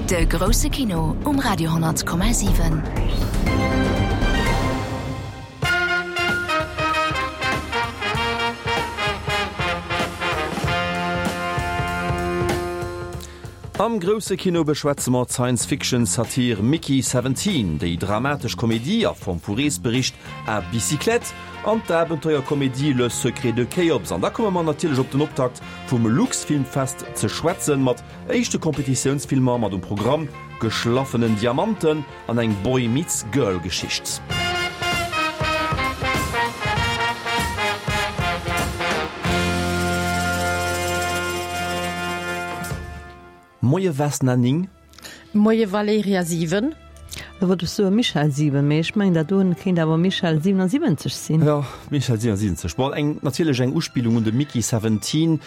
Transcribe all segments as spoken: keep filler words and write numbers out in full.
De grousse Kino um Radio honnert Komma siwen. Am grousse Kino beschwätze mer d'Science-Fiction-Satir Mickey Seventeen, déi dramatesch Komedie a Form vu Reesbericht À bicyclette an d'Abenteuerkomedie Le secret de Khéops. An da komme mer natierlech op den Optakt vum Luxfilmfest ze schwätzen, mat éischte Kompetitiounsfilmer mat um Programm Geschlaffenen Diamanten an eng Boy meets Girl Geschicht. Moie Vesna Ning. Moie Valerija siwen. Da wollt ech soe Michèle siwen, mee ech mengen dat doen kéint awer Michèle siewenundsiwwenzeg sinn. Jo, Michèle siewenundsiwwenzeg. Bon, eng natierlech eng Uspillung un de Mickey Seventeen.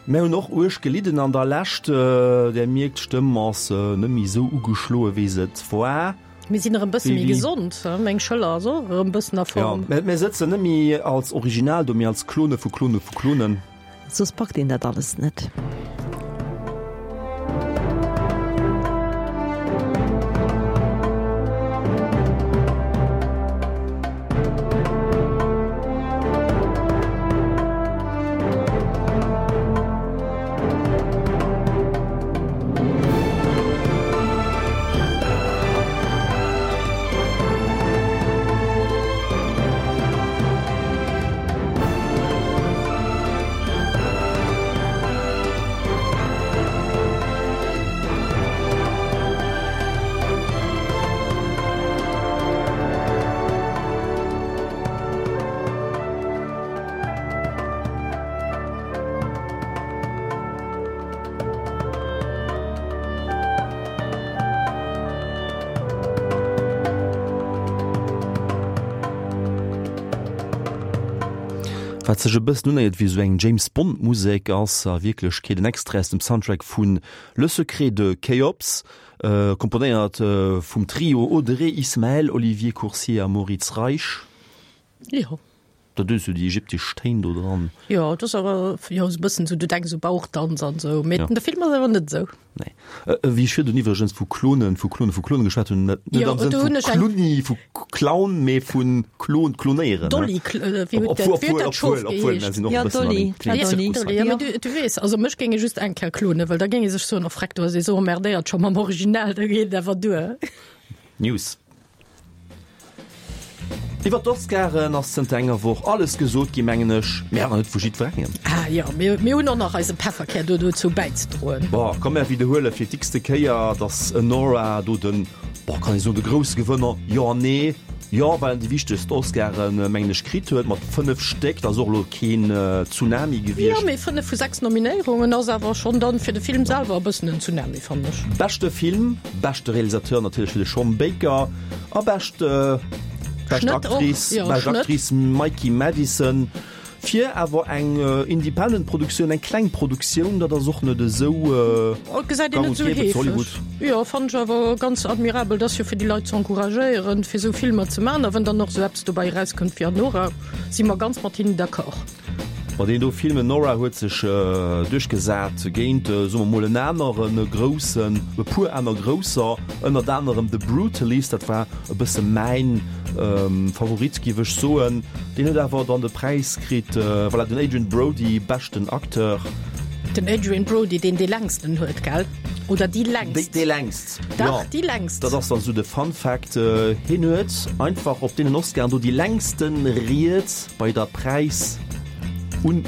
Mär hunn och uerg gelidden an der Lescht. Där mierkt, d'Stëmm ass net méi esou ugeschloe wéi se et war. Mir sinn erëm bësse méi gesond, meng Schëller ass och erëm bëssen a Form. Jo, mir sëtzen net méi als Original do, mee als Klone vu Klone vu Klonen. Soss packt een dat alles net. Wat sech e bëssen unéiert wéi esou eng James Bond Musek, ass a Wierklechkeet en Extrait aus dem Soundtrack vu Le secret de Khéops, komponéiert vum Trio Audrey Ismael, Olivier Coursier a Moritz Reich. Jo. Dat hues du déi ägyptesch Téin do dran. Jo, dat ass awer jo esou e bëssen esou, du denks u Bauchdanz an esou, mee de Film ass awer net esou. Nee. Wéi ech virdrun iwwregens vu Klonen, vu Klonen, vu Klonen geschwat hunn, net Jo, am Sënn do vu hunn ech eng. Klunni, vu Clown, mee vu Klon, Klonéieren. Dolly, wéi huet dat, wéi huet dat Schof Obwuel, obwuel, geheescht? obwuel, mir sinn och Ja, e bëssen an Dolly, engem ja, klengen Dolly. Zirkus Dolly, hei. ja, mee du, du weess, also mech géing ee just eng Kéier klonen, well da géing ee sech soen, oh freck, du ass ee sou emmerdéiert scho mam Original, da geet et awer duer. News. Iwwer d'Oscaren ass zënter enger Woch alles gesot gi mengen ech, mee awer net vu jiddwerengem. Ah jo, mir, mir hunn och nach eise Pefferkär do dozou bäizedroen. Bon, komm mär widderhuele fir d'x-te Kéier, dass Anora do den, bon, kann ee soen, de grousse Gewënner, jo an nee, jo, well en déi wichtegst Oscaren, mengen ech, kritt huet, mat fënnef Stéck, dat ass och elo keen Tsunami Jo, gewiescht. mee fënnef vu sechs Nominéierungen ass awer schonn dann fir de Film selwer e bëssen en Tsunami, fannen ech. Beschte Film, beschte Realisateur natierlech fir de Sean Baker a bescht. Bescht Schnëtt och, Actrice, jo, bescht Schnëtt. Actrice Mikey Madison fir awer eng independent Produktioun, eng kleng Produktioun, dat ass och net esou Oh, gesäit een gang net und esou gäbe zu heefeg. Hollywood. Jo, fannen ech awer ganz admirabel. Dat ass jo fir déi Leit ze encouragéieren, fir esou Filmer ze maachen. A wann dann och esou eppes dobäi erauskënnt wéi Anora, si mer ganz mat hinnen d'accord. Ma deen do Film Anora huet sech duerchgesat géint, soe mer mol, en anere groussen, e puer aner grousser, ënnert anerem The Brutalist, dat war e bësse mäin Favorit, giff ech soen. Deen huet awer dann de Präis kritt, voilà, den Adrien Brody, beschten Acteur. Den Adrien Brody, deen dee längsten huet, gell? Oder déi längst? Déi längst, jo. Dach, déi längst. Dat ass dann esou de Fun Fact, hien huet einfach op deenen Oscaren do déi längste Ried bei der Präis. Un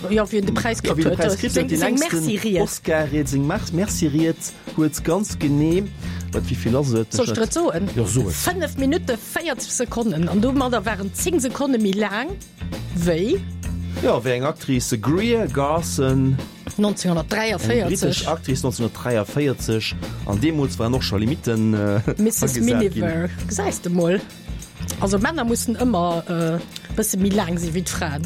Jo, wien de Präis ja, kritt wien de huet, Präis kritt huet, seng déi seng längsten Merci-Ried. Oscar-Ried, seng Merci-Ried huet ganz genee, wat, wéi vill ass et? Soll ech der et soen? Jo, so et. Fënnef Minutte véierzeg Sekonnen an domadder waren zéng Sekonne méi laang wéi. Jo, wéi eng Actrice, Greer Garson, eng nonzénghonnertdräiavéierzeg. brittesch Actrice, nonzénghonnertdräiavéierzeg, an deemools waren och scho Limitten Misses agesat ginn. Miniver, gesäis de mol. Also Männer mussen ëmmer e bësse méi laang si wéi d'Fraen.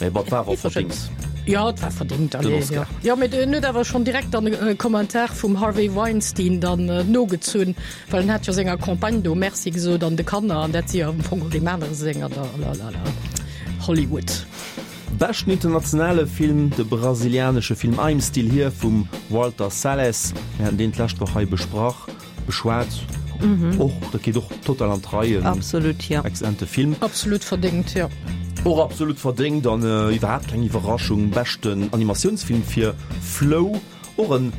Mee bon, et war awer verdéngt. Jo, et war verdéngt, Den allez, jo. Oscar. Jo, mee en huet awer schonn direkt dann e Kommentar vum Harvey Weinstein dann nogezunn, well en hat jo senger Campagne do Merci gesot an de Kanner, an dat si jo am Fong och deem anere senger da, lalala. Hollywood. Beschten internationale Film, de brasilianesche Film I'm Still Here vum Walter Salles. Mir haten deen d'lescht Woch hei besprach, beschwat. Och, dat geet och total an d'Rei. Absolut, jo. Exzellente Film. Absolut verdéngt, jo. Och absolut verdéngt an iwwerhaapt keng Iwwerraschung, beschten Animatiounsfilm fir Flow, och en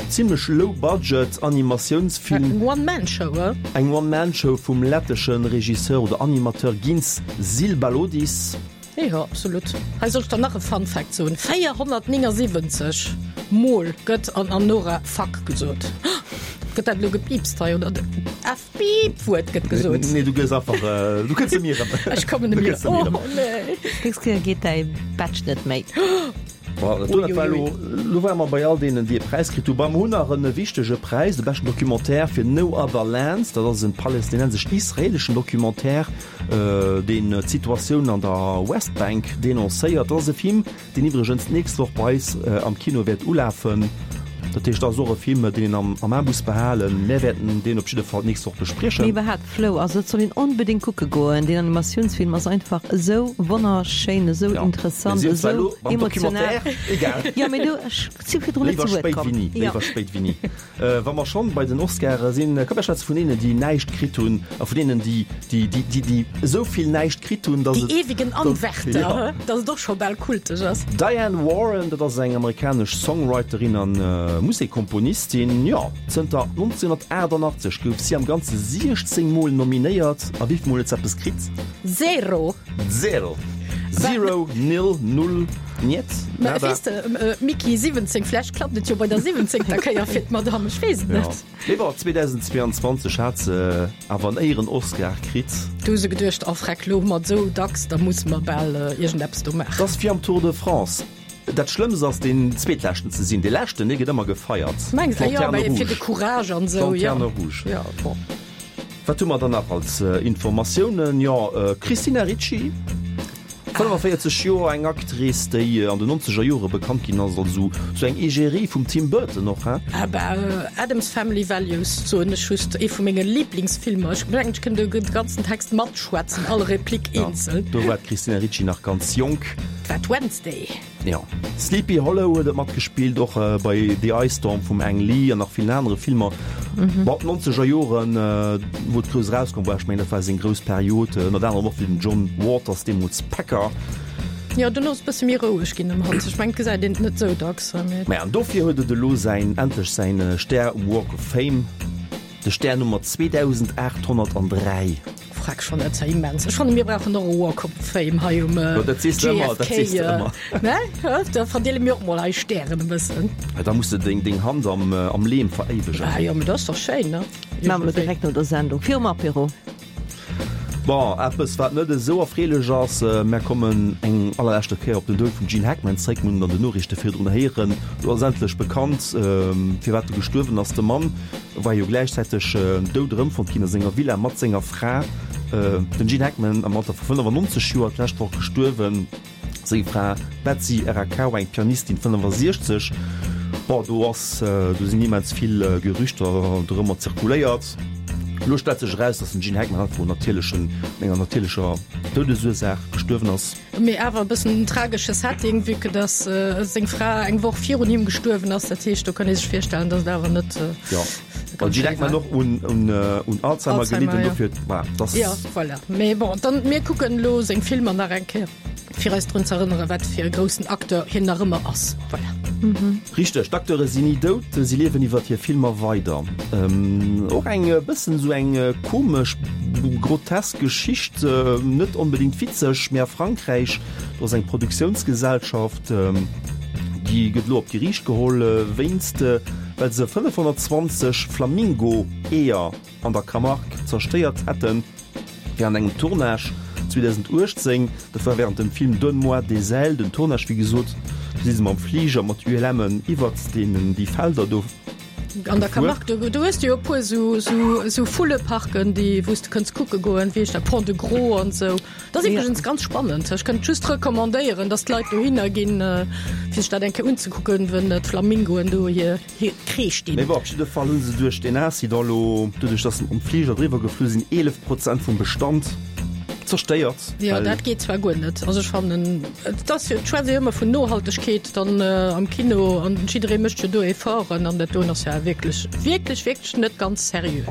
zimmlech low budget Animatiounsfilm. Eng One Man Show, he? Eng One Man Show vum lettesche Regisseur oder Animateur Gints Zilbalodis. Jo, absolut. Hei soll ech der nach e Fun Fact soen, véierhonnertnéngasiwwenzeg Mol gëtt an Anora Fuck gesot. Gëtt dat elo gepiipst hei oder? F-Piip-Wuert gëtt gesot. Nee, du gëss einfach, du kënns net méi erëm. Ech kommen net méi erëm. Oh nee. Dës Kéier geet däi Badge net méi. Bon, dat do, dat war elo, elo ware mer bei all deenen, déi e Präis kritt hunn. Bon, mer hunn nach e wichtege Präis, de beschten Documentaire fir No Other Lands. Dat ass e palästinensesch-israeleschen Documentaire, deen d'Situatioun an der Westbank denoncéiert. Dat ass e Film, deen iwwregens d'nächst Woch bei eis am Kino wäert ulafen. Dat heescht, dat ass och e Film, deen een am am A muss behalen. Mär wäerten deen op jidde Fall d'nächst Woch bespriechen. Mee iwwerhaapt Flow, also dat soll een onbedéngt kucke goen. Deen Animatiounsfilm ass einfach esou wonnerschéin, esou Ja, interessant, mir sinn zwar esou elo beim emotional. Documentaire, egal. Jo, mee du, ech si virdrun net Léiwer zu Wuert spéit komm. wéi ni, Jo. léiwer spéit wéi ni. Wa mer schonn bei den Oscare sinn, komm mer schwätze vun deenen, déi näischt kritt hunn a vun deenen, déi, déi, déi, déi, déi esou vill näischt kritt hunn, dass Déi et, ewigen dass, Anwärter, ja. he, dass et och scho bal kulteg ass. Diane Warren, dat ass eng amerikanesch Songwriterin an Musekkomponistin. Jo, zënter nonzénhunnertaachtannachtzeg gouf si am Ganze siechzéng Mol nominéiert. A wéi vill Mol huet se eppes kritt? Zero! Zero! Zero, nil, null, niet, Mä nada. weess de, Micky, siwwenzéng, vläicht klappt et jo bei der siwwenzéngter Kéier fir d'Madame, ech weess et Jo. net. Mee bon, zweedausendzweeanzwanzeg hat se awer en Éieren-Oscar kritt. Du hu se geduecht, Oh freck, lo hu mer et esou dacks, da musse mer bal iergendeppes do maachen. 't ass wéi am Tour de France. Dat Schlëmmst ass deen zweetleschten ze sinn. Dee leschten, dee gëtt ëmmer gefeiert. Mengs de? Jo, Lanterne mä fir de rouge. Courage an esou, jo. Lanterne rouge. Jo, bon. Wat hu mer dann nach als Informatiounen? Jo, Christina Ricci, fënnefaféierzeg Joer, eng Actrice, déi an den nonzeger Jore bekannt ginn ass als esou sou eng Egerie vum Tim Burton och, hein? Ah bah, Addams Family Values soen ech just, ee vu menge Liblingsfilmer. Ech mengen, ech kënnt de ganzen Text matschwätzen, all Replik eenzel. Do war d'Christina Ricci nach ganz jonk. Dat war d'Wednesday. Jo. Sleepy Hollow huet et matgespillt, och bei The Ice Storm vum Ang Lee an nach villen anere Filmer. Bon, d'nonzeger Joren, wou et grouss erauskomm war, ech mengen, dat war seng grouss Period, ënnert anerem och fir den John Waters, deemools Packer. Jo, dono ass et bësse méi roueg ginn ëm hatt. Ech mengen, et gesäit een et net esou dacks, mee. Maja, an dofir huet et elo säin, endlech säin Stär um Walk of Fame, de Stär Nummer zweedausendaachtthonnertandräi. Freck schon, dat ass ja immens. Ech fannen, mir brauchen och e Walk of Fame hei um Jo, dat sees de ëmmer, dat sees de J F K. ëmmer. Ne? Da verdeele mir och mol eis Stären e bëssen. Ja, da muss de deng, deng Hand am, am Leem veréiwegen. Ah jo, mee dat ass doch schéin, ne? Maache mer elo direkt no der Sendung, virum Apéro. Bon, eppes wat net esou erfreelech ass, mär kommen eng allerleschte Kéier op den Doud vum Gene Hackman zréck. Mir hunn et an den Noriichte virdrun héieren. Elo ass endlech bekannt, firwat e gestuerwen ass. De Mann war jo gläichzäiteg dout erëmfonnt ginn a senger Villa mat senger Fra. Den Gene Hackman am Alter vu fënnefannonzeg Joer d'lescht Woch gestuerwen. Seng Fra Betsy Arakawa, eng Pianistin, fënnefasiechzeg. Bon, do ass, do sinn immens vill Gerüchter dorëmmer zirkuléiert. Elo stellt sech eraus, datt den Gene Hackman einfach un natierlechen, enger natierlecher Doudesursaach gestuerwen ass. Mee awer e bëssen en tragesche Setting, vue que datt seng Fra eng Woch virun him gestuerwen ass. Dat heescht, do kann ee sech virstellen, datt et awer net Jo, well ganz Gene schéi Hackman war. och un, un, un Alzheimer Alzheimer, gelidden, jo. dofir, voilà, dass. Jo, voilà. Mee bon, dann, mir kucken elo seng Filmer nach eng Kéier, fir eis drun z'erënneren, wat fir e groussen Acteur hien nach ëmmer ass. Voilà. Richteg, d'Acteure sinn ni dout, si liewen iwwert hir Filmer weider. Och eng bëssen esou eng komesch, grotesk Geschicht, net onbedéngt witzeg, mee a Frankräich, do ass eng Produktiounsgesellschaft, déi gëtt elo op d'Geriicht geholl wéinst, well se fënnefhonnertzwanzeg Flamingo-Eeër an der Camargue zerstéiert hätten. Wärend engem Tournage zweedausenduechtzéng, dat war wärend dem Film Donne-moi des ailes, den Tournage wéi gesot, do si se mam Fliger mat U L M'en iwwert deenen déi Felder do An der gefuer. Camargue, do, do hues de jo e puer sou, sou, sou Vulleparken, déi, wou s de kënns kucke goen, wéi heescht dat, Pont de Gros an sou. Dat ass iwwregens ganz spannend. Ech kënnt just recommandéieren, dass d'Leit dohinner ginn, fir sech dat eng Kéier unzekucken, wenn d'Flamingoen do hir, hir Kreesch dinn. Mee bon, op jidde Fall hu se duerch deen Accident elo, doduerch dass se mam Fliger driwwer geflu sinn, eelef Prozent vum Bestand Zerstéiert. Jo, dat geet zwar guer net. Also ech fannen, et ass jo, et schwätzt ee jo ëmmer vun Nohaltegkeet dann am Kino an jidderee mécht jo do Efforten an dat doen ass jo wierklech, wierklech, wierklech net ganz seriö.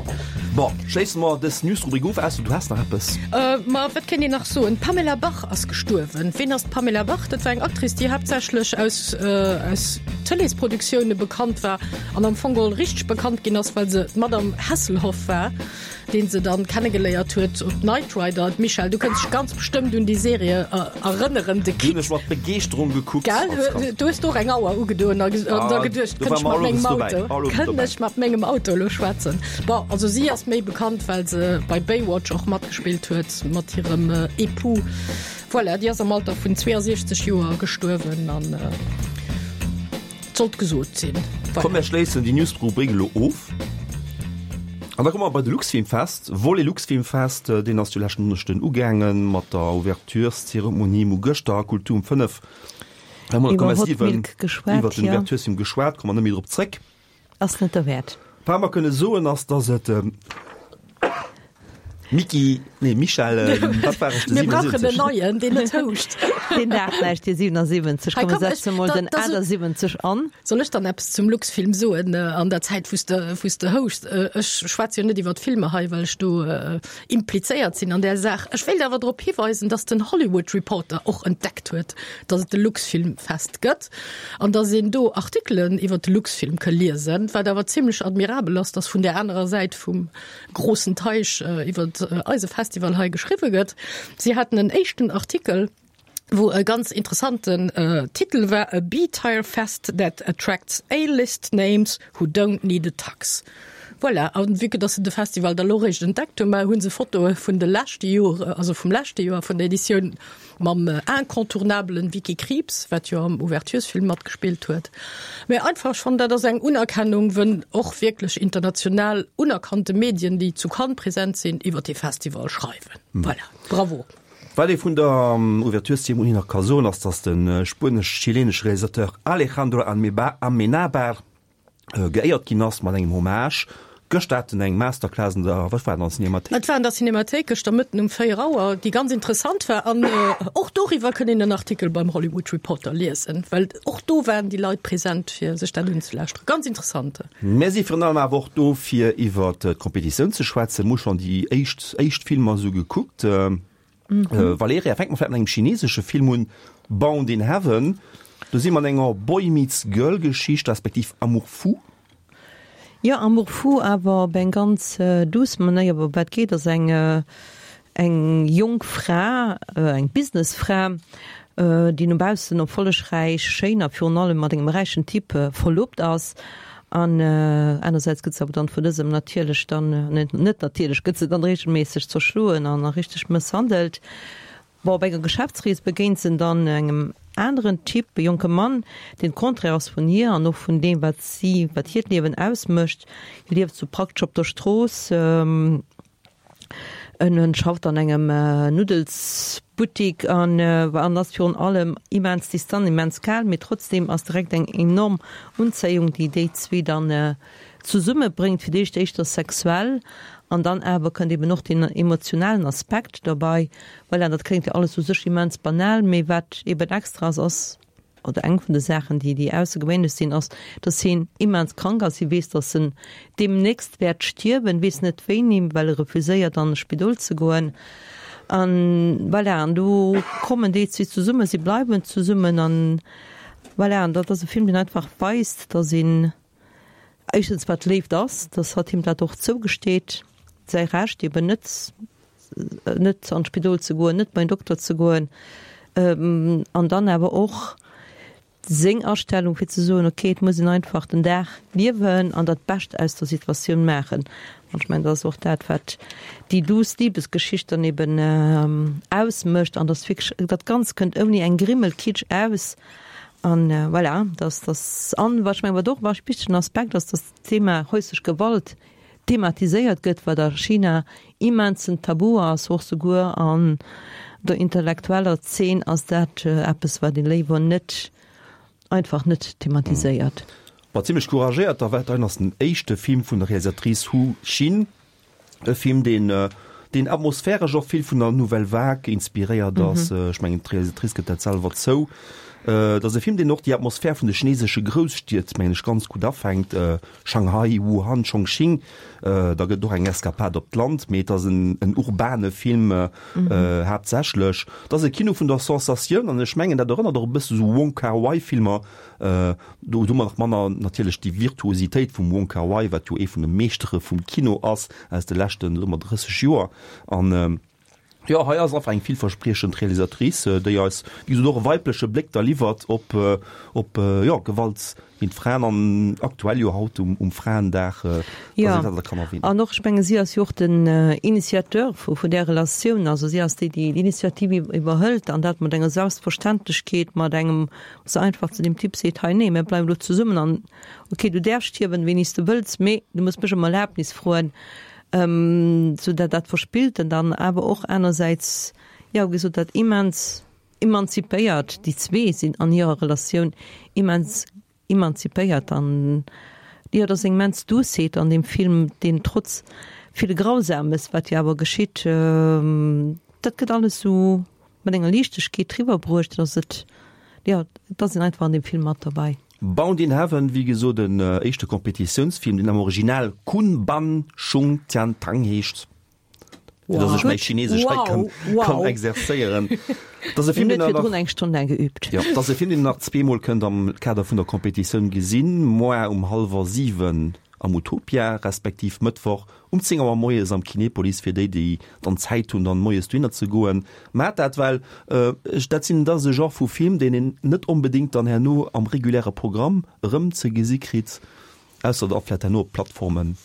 Bon, schléisse mer dës Newsrubrik of, ausser du häss nach eppes. Ma wat kéint een nach soen? D'Pamela Bach ass gestuerwen. Ween ass d'Pamela Bach? Dat war eng Actrice, déi haaptsächlech aus, aus Tëleesproduktioune bekannt war an am Fong geholl richteg bekannt ginn ass, well se d'Madame Hasselhoff war. deen se dann kennegeléiert huet op Knight Rider. D'Michèle, du kënns dech ganz bestëmmt un déi Serie erënneren, de Déi hunn ech mat Begeeschterung gekuckt Gell? als Kand. Du hues do och eng Auer ugedoen a da geduecht, Do war kënnt ech mer mat mengem alles dobäi, Auto, alles kënnt dobäi. ech mat mengem Auto elo schwätzen? Bon, also si ass méi bekannt, well se bei Baywatch och matgespillt huet mat hirem Époux. Voilà, déi ass am Alter vun zweeënsiechzeg Joer gestuerwen an. Sollt gesot sinn. Komm mir schléissen déi News-Rubrik elo of an da komme mer bei de Luxfilmfest. Volet Luxfilmfest, deen ass jo leschten Donneschden ugaange mat der Ouvertureszeremonie. Mir hu gëschter a Kultur um fënnef Iwwer Hot Milk geschwat, iwwer den jo. Ouverturesfilm geschwat, komme mer net méi drop zréck. Ass net derwäert. Wat mer kënne soen ass, dass et Micky, nee Michèle, wat war ech, de Mir brauchen en siwenundsiwwenzeg? neien, deen net houscht. Deen Dag näischt, déi siwenundsiwwenzeg. Hei, Komm, mir komm, ech, setze mol da, den da so, achtundsiwwenzeg an. Soll ech dann eppes zum Luxfilm soen an der Zäit, wou s de, wou s de houscht? Ech schwätze jo net iwwer d'Filmer hei, well ech do implizéiert sinn an där Saach. Ech wéilt awer drop hiweisen, dass den Hollywood Reporter och entdeckt huet, dass et de Luxfilmfest gëtt an dass een do Artikelen iwwer de Luxfilm ka liesen, wat awer zimlech admirabel ass, dass vun där anerer Säit vum grossen Teich iwwer eise Festival hei geschriwwe gëtt. Si haten en éischten Artikel, wou e ganz interessanten Titel war, A B-Tier Fest that attracts A-list names who don't need a tux. Voilà, a vue que dass se de Festival da lo réischt entdeckt hunn, mä hu se Fotoe vun de leschte Jore, also vum leschte Joer, vun der Editioun mam incontournabelen Vicky Krieps, wat jo am Ouverturesfilm matgespillt huet. Mä einfach, ech fannen, dat ass eng Unerkennung, wënn och wierklech international unerkannte Medien, déi zu Cannes present sinn, iwwer dee Festival schreiwen. Voilà, bravo! Wat ee vun der Ouvertureszeremonie nach ka soen, ass, datt de spuenesch-chilenesche Realisateur Alejandro Amenábar geéiert ginn ass mat engem Hommage. Gëschter hat en eng Masterclass an der, wat war dat, an der Cinemathéik? Et war an der Cinemathéik gëschter Mëtten um véier Auer, déi ganz interessant war. An och doriwwer kënnt een en Artikel beim Hollywood Reporter liesen, well och do waren déi Leit present, fir sech dat unzelauschteren. Ganz interessant. Mir si virun allem awer och do, fir iwwer d'Kompetitioun ze schwätzen. Mir hu schonn déi éischt, éischt Filmer esou gekuckt. Valerija, fänke mer vläicht mat engem chinesesche Film un, Bound in Heaven. Do si mer an enger Boy meets Girl Geschicht, respektiv Amour fou. Jo, Amour fou, awer op eng ganz douce Manéier. Ëm wat geet, ass eng eng jonk Fra, eng Businessfra, déi no baussen erfollegräich, schéin a virun allem mat engem räichen Typ verlobt ass. An anersäits gëtt se awer dann vun dësem natierlech dann, net natierlech, gëtt se dann reegelméisseg zerschloen an a richteg mësshandelt. Bon, op enger Geschäftsrees begéint se dann engem aneren Typ, e jonke Mann, deen d'Contraire ass vun hir an och vun deem, wat si, wat hiert Liewen ausmécht. Hie lieft sou praktesch op der Strooss, en en schafft an engem Nuddelsbuttik an an ass virun allem immens distant, immens kal, mee trotzdeem ass direkt eng enorm Unzéiung, déi déi zwee dann zesummebréngt, fir d'éischt éischter sexuell an dann awer kënnt eben och deen emotionalen Aspekt dobei. Voilà, dat kléngt jo alles u sech immens banal, mee wat eben extra ass, ass, oder eng vun de Saachen, déi déi aussergewéinlech sinn, ass, dass hien immens krank ass. Hie weess, dass en deemnächst wäert stierwen, weess net wéini, well e refuséiert an e Spidol ze goen. An voilà, an do kommen déi zwee zesummen, si bleiwen zesummen an voilà, an dat ass e Film, deen einfach weist, dass een, Éischtens wat Léift ass, dass hatt him dat och zougesteet, säi Recht eben net net an d'Spidol ze goen, net bei en Dokter ze goen, an dann awer och seng Astellung fir ze soen, okay, et muss een einfach den Dag liewen an dat Bescht aus der Situatioun maachen. An ech mengen, dat ass och dat, wat déi duuss Libesgeschicht dann eben ausmécht an dass wierklech dat Ganzt kënnt ouni eng Grimmel Kitsch aus. An voilà, dass dass an wat ech mengen, wat och e wichtegen Aspekt ass, dass d'Thema häuslech Gewalt thematiséiert gëtt, wat a China immensen Tabu ass, och souguer an der intellektueller Zeen ass dat eppes, wat ee léiwer net, einfach net thematiséiert. War zimlech couragéiert, da war dat ass den éischte Film vun der Realisatrice Hu Xin, e Film, deen deen atmosphäresch och vill vun der Nouvelle Vague inspiréiert ass. Mm -hmm. Ech mengen d'Realisatrice gëtt dat selwer zou. Äh, dat ass e Film, deen och déi Atmosphär vun de chinesesche Grousstied, mengen ech, ganz gutt afänkt, äh, Shanghai, Wuhan, Chongqing. Äh, da gëtt och eng Eskapad op d'Land, mee et ass en, en urbane Film äh, mm -hmm. äh, haaptsächlech. Dat ass e Kino vun der Sensatioun an ech mengen, dat erënnert och e bësse sou Wong Kar-wai-Filmer. Äh, do hu mer nach manner natierlech déi Virtuositéit vum Wong Kar-wai, wat jo ee vun de Meeschtere vum Kino ass aus de leschten, soe mer, drësseg Joer. An äh, jo, hei ass einfach eng villverspriechend Realisatrice, déi eis, wéi gesot, och e weibleche Bléck da liwwert op, op, jo, Gewalt géint Fraen an aktuell jo haut um, um Fraendag, dass Jo, een dat da kann erwähnen. an och, ech menge si ass jo och den Initiateur vu, vun där Relatioun, also si ass déi, déi d'Initiativ iwwerhëlt an dat mat enger Selbstverständlechkeet, mat engem, wou se einfach zu deem Typ seet, hei, nee, mir bleiwen elo zesummen an okay, du däerfs stierwen, wéini s de wëlls, mee du muss mech ëm Erlaabnis froen. Sou dat dat Verspillten dann awer och anersäits, jo, wéi gesot, dat immens emanzipéiert, déi zwee sinn an hirer Relatioun immens emanzipéiert an, jo, et ass eng immens Douceet an deem Film, deen trotz ville Grausames, wat jo awer geschitt, dat gëtt alles sou mat enger Liichtegkeet driwwer bruecht, dass et, jo, et ass een einfach an deem Film mat derbäi. Bound in Heaven, wéi gesot en éischte Kompetitiounsfilm, deen am Original Kun Ban Shung Tian Tang heescht, fir dass ech mäi Chinesesch hei kann, kann exerzéieren. Dat ass e Film, Mir deen hunn der virdrun nach, eng Stonn laang geübt. jo, dat ass e Film, deen der nach zweemol kënnt am Kader vun der Kompetitioun gesinn, moar um hallwer siwen am Utopia, respektiv Mëttwoch um zéng Auer moies am Kinepolis, fir déi, déi dann Zäit hunn, dann moies dohinner ze goen. Maacht dat, well ech, dat sinn, dat ass e Genre vu Film, deen een net onbedéngt dann herno am reguläre Programm erëm ze gesi kritt, ausser da vläicht herno op Plattformen.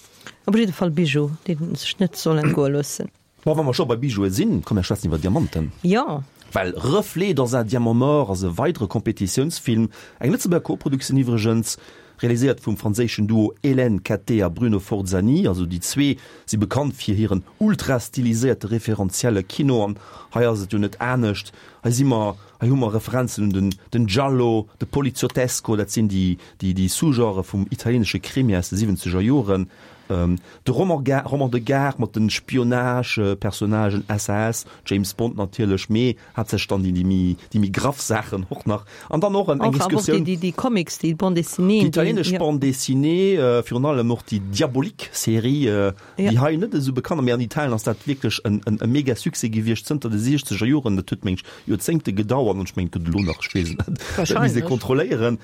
Op jidde Fall Bijou, deen sech net soll entgoe loossen. Bon, wa mer scho bei Bijoue sinn, komm mir schwätzen iwwer Diamanten. Jo. Well Reflets dans un diamant mort ass e weidere Kompetitiounsfilm, eng Lëtzebuerger Koproduktioun iwwregens, realiséiert vum franséischen Duo Hélène Cattet a Bruno Forzani. Also déi zwee si bekannt fir hiren ultra-stiliséierte referenzielle Kino an hei ass et jo net anescht. Hei si mer, hei hu mer Referenzen un den den Giallo, de Poliziottesco, dat sinn déi déi déi Sous-Genrë vum italienesche Krimi aus de siwwenzeger Joren. De Roman Roman de Gare mat den Spionage-Personnagen, S A S, James Bond natierlech, mee haaptsächlech dann déi déi méi déi méi graff Saachen och nach. An dann och eng Och awer och déi Excursioun. déi déi Comics, déi Bande dessinée, Déi déi italienesch jo. Bande dessinée, virun allem och déi Diabolik-Serie, Ja. déi hei net esou bekannt ass, mee an Italien ass dat wierklech en en e mega Succès gewiescht zënter de siechzeger Joren. Dat huet meng ech Joerzéngte gedauert an ech mengen et gëtt elo nach, ech weess et net, dat misst ee Wahrscheinlech. kontrolléieren.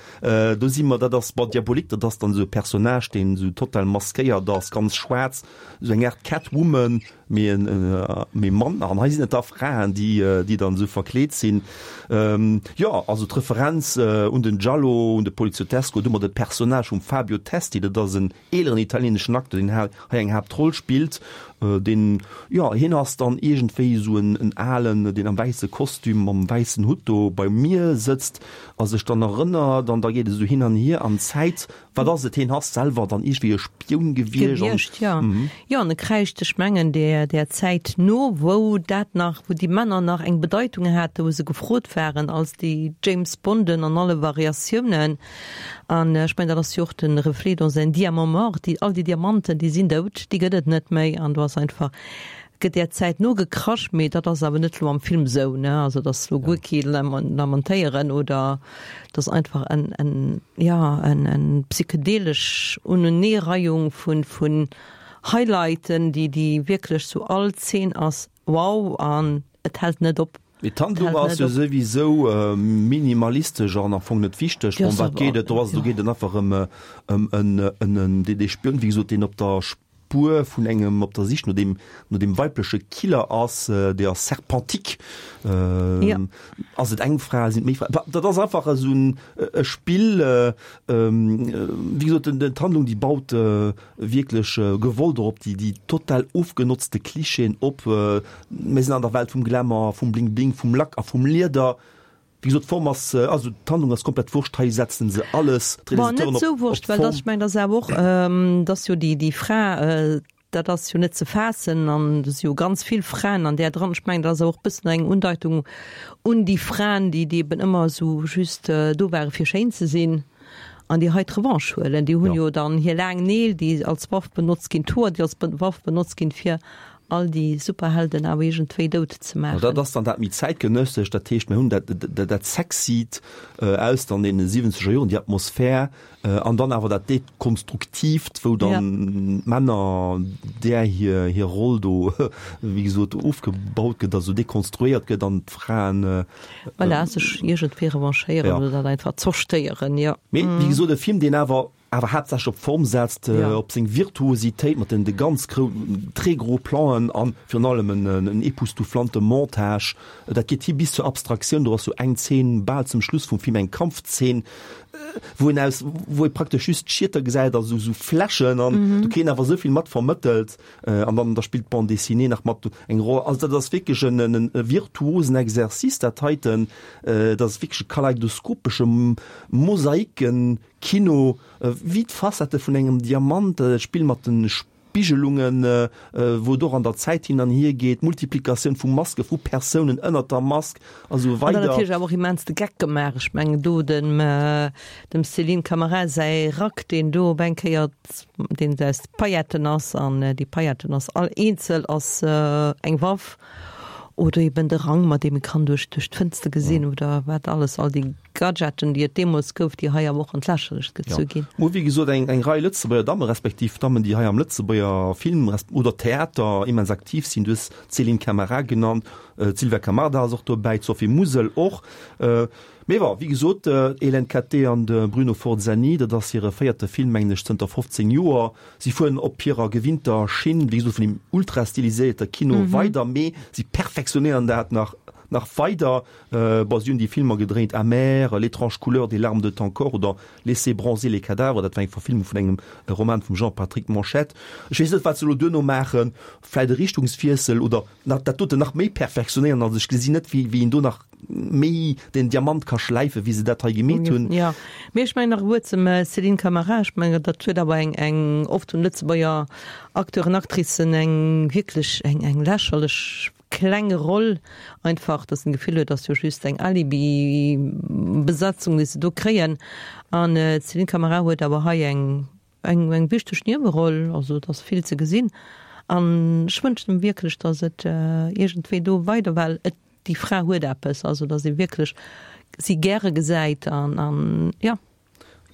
Do si mer, dat ass bon, Diabolik, dat ass dann esou e Personnage, deen esou total maskéiert ass, ganz schwaarz, esou eng Aart Catwoman, mee en mee Mann. An hei sinn et da Fraen, déi déi dann esou verkleet sinn. Jo, also d'Referenz un den Giallo, un de Poliziottesco, do mat de Personnage vum Fabio Testi, dat ass en eeleren italieneschen Acteur, deen hei eng Haaptroll spillt, deen, jo, hien ass dann iergendwéi esou en en alen, deen am wäisse Kostüm mam wäissen Hutt do beim Mier sëtzt a sech dann erënnert an da geet et esou hin an hier an d'Zäit. Wat ass et? Hien ass selwer dann iergendwéi e Spioun gewiescht an. Gewiescht, jo. Jo, an e kräischt, ech mengen, där, där Zäit no, wou dat nach, wou déi Männer nach eng Bedeitung haten, wou se gefrot waren als déi James Bonden an alle Variatiounen. An ech mengen, dat ass jo och de Reflet dans un diamant mort, déi, all déi Diamanten, déi sinn dout, déi gëtt et net méi an do ass einfach, gëtt där Zäit nogekrasch, mee dat ass awer net elo am Film esou, ne, also dass elo guer kee Lamentéieren oder et ass einfach en, en, jo, en, en psychedelesch Uneneereihung vun, vun Highlighten, déi, déi wierklech sou all Zeen ass wow an et hält net op. Mee d'Handlung ass jo souwisou minimalistesch an am Fong net wichteg. Ëm wat geet et? Do ass, do geet et einfach ëm ëm en en dee dee Spioun, wéi gesot, deen op der Spuer vun engem, op der Sich no deem no deem weibleche Killer ass, dee ass Serpentique. Ass et eng Fra, sinn et méi Fraen? Dat ass einfach esou en e Spill, wéi gesot, den d'Handlung, déi baut wierklech gewollt och op déi déi total ofgenotzte Klischeeën op. Mir sinn an der Welt vum Glamour, vum Bling Bling, vum Lack a vum Lieder. Wéi gesot, d'Form ass, also d'Handlung ass komplett wurscht, hei setzen se alles, Bon, net d'Realisateuren, esou op wurscht, well d'Form. dass, ech mengen, dass awer och, dass jo déi déi Fra, dat ass jo net ze faassen an do si jo ganz vill Fraen an där dran. Ech mengen, dat ass awer och e bëssen eng Undeitung un déi Fraen, déi déi eben ëmmer esou just do ware fir schéin ze sinn an déi hei d'Revanche huelen. Déi hunn jo dann hir laang Neel, déi als Waff benotzt ginn, d'Hoer, déi als Waff benotzt ginn, fir all déi Superhelden awer iergendwéi dout ze maachen. Dat ass dann dat méi zäitgenëssescht, dat heescht, mir hunn dat, dat, dat Sexyt aus dann deene siwwenzeger Joren, déi Atmosphär, an dann awer dat Dekonstruktiivt, wou dann d'Männer, där hir, hir Roll do, wéi gesot, ofgebaut gëtt, also dekonstruéiert gëtt an d'Fraen. Voilà, sech iergendwéi revanchéieren oder dat einfach zerstéieren, jo. Mee, wéi gesot, e Film, deen awer awer haaptsächlech op Form setzt, ja. op seng Virtuositéit mat den de ganz gro très gros Plan'en an virun allem en, en époustouflante Montage. Dat geet hi bis zur Abstraktioun. Do ass sou eng Zeen bal zum Schluss vum Film, eng Kampfzeen, wou een aus wou ee praktesch just Schieter gesäit, also sou Fläschen an mhm. do kritt een awer souvill mat vermëttelt an dann da spillt d'Bande dessinée nach mat eng Roll. Also dat ass wierklech en, en, e virtuosen Exercice dat heiten. Dat ass wierklech e kaleidoskopesche Mosaiken Kino, wéi d'Facette vun engem Diamant, d'Spill mat de Spigelungen, wou et och an der Zäit hin an hier geet, d'Multiplikatioun vu Maske, vu Persounen ënnert der Mask a sou weider. An dann natierlech awer och immens de Geck gemaach. Ech mengen do dem dem Céline Camara säi Rack, deen do op eng Kéier, deen aus Pailletten ass, an déi Pailletten ass all eenzel ass eng Waff. Oder eben de Rang, mat deem e kann duerch duerch d'Fënster gesinn oder wat alles, all déi Gadgeten, déi et deemools gouf, déi hei awer och an d'Lächerlecht gezu ginn. Mä wéi gesot, eng eng Rei Lëtzebuerger Dammen, respektiv Dammen, déi hei am Lëtzebuerger Film resp. Oder Theater immens aktiv sinn. Du hues d'Céline Camara genannt, d'Sylvia Camarda ass och dobäi, d'Sophie Musel och. Mee bon, wéi gesot, d'Hélène Cattet an de Bruno Forzani, dat ass hire véierte Film, mengen ech, zënter fofzéng Joer. Si fueren op hirer gewinnter Schinn, wéi gesot, vun deem ultra-stiliséierte Kino weider, mee si perfektionéieren dat nach, nach weider. Bon, si hunn déi Filmer gedréint, Amer, L'étrange couleur des larmes de ton corps oder Laissez bronzer les cadavres, dat war eng Verfilmung vun engem Roman vum Jean-Patrick Manchette. Ech weess net, wat se elo duerno maachen, vläit e Richtungswiessel oder nach dat doten nach méi perfektionéieren. Also ech gesinn net, wéi, wéi een do nach méi den Diamant ka schläifen, wéi se dat hei gemeet hunn. Jo, mee ech mengen nach e Wuert zum Céline Camara. Ech mengen, dat huet awer eng, eng, oft hunn Lëtzebuerger Acteuren, Actricen eng wierklech eng, eng lächerlech kleng Roll einfach, dass een d'Gefill huet, dass jo just eng Alibi-Besetzung, déi se do kréien. An d'Céline Camara huet awer hei eng, eng, eng wichteg Nieweroll, also et ass vill ze gesinn. An ech wënschen em wierklech, dass et iergendwéi do weider, well et, déi Fra huet eppes, also dass ee wierklech si gäre gesäit an, an jo.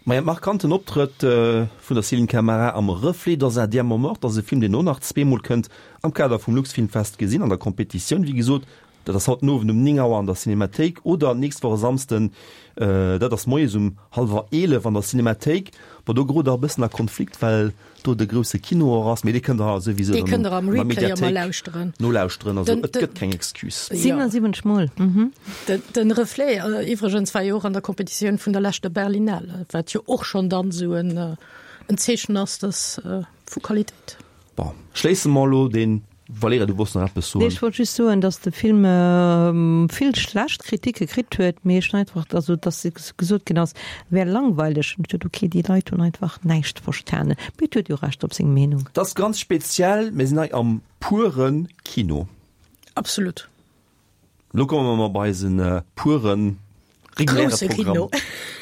Maja, markanten Optrëtt vun der Céline Camara am Reflet dans un diamant mort ass e Film, deen och nach zweemol kënnt am Kader vum Luxfilmfest gesinn, an der Competitioun, wéi gesot. Dat ass haut den Owend um néng Auer an der Cinemathéik oder nächst Woch e Samsden, dat ass moies um hallwer eelef an der Cinemathéik. Bon, do gerot der e bëssen a Konflikt, well do de grousse Kino och ass, mee dee kënnt der souwisou Dee dann kënnt der am an der Replay ëmmer Mediathéik lauschteren. nolauschteren. Also Den, et den, gëtt keng Excuse. Jo. siewenundsiwwenzeg Mol, mhm. Den, den Reflet iwwregens war jo och an der Competitioun vun der leschter Berlinale, wat jo och schonn dann esou en, en Zeechen ass, dass vu Qualitéit. Bon, schléisse mer elo dee Valerija, du wolls nach eppes Nee, soen? ech wollt just soen, datt de Film vill schlecht Kritike kritt huet, mee ech hunn einfach, also datt gesot ginn ass, e wär langweileg. An ech duet, okay, déi Leit hunn einfach näischt verstanen. Mee et huet jo Recht op seng Meenung. Dat ass ganz speziell, mir sinn hei am puren Kino. Absolut. Lo komme mer mol bei eisen puren reguläre Grousse Programm. Kino.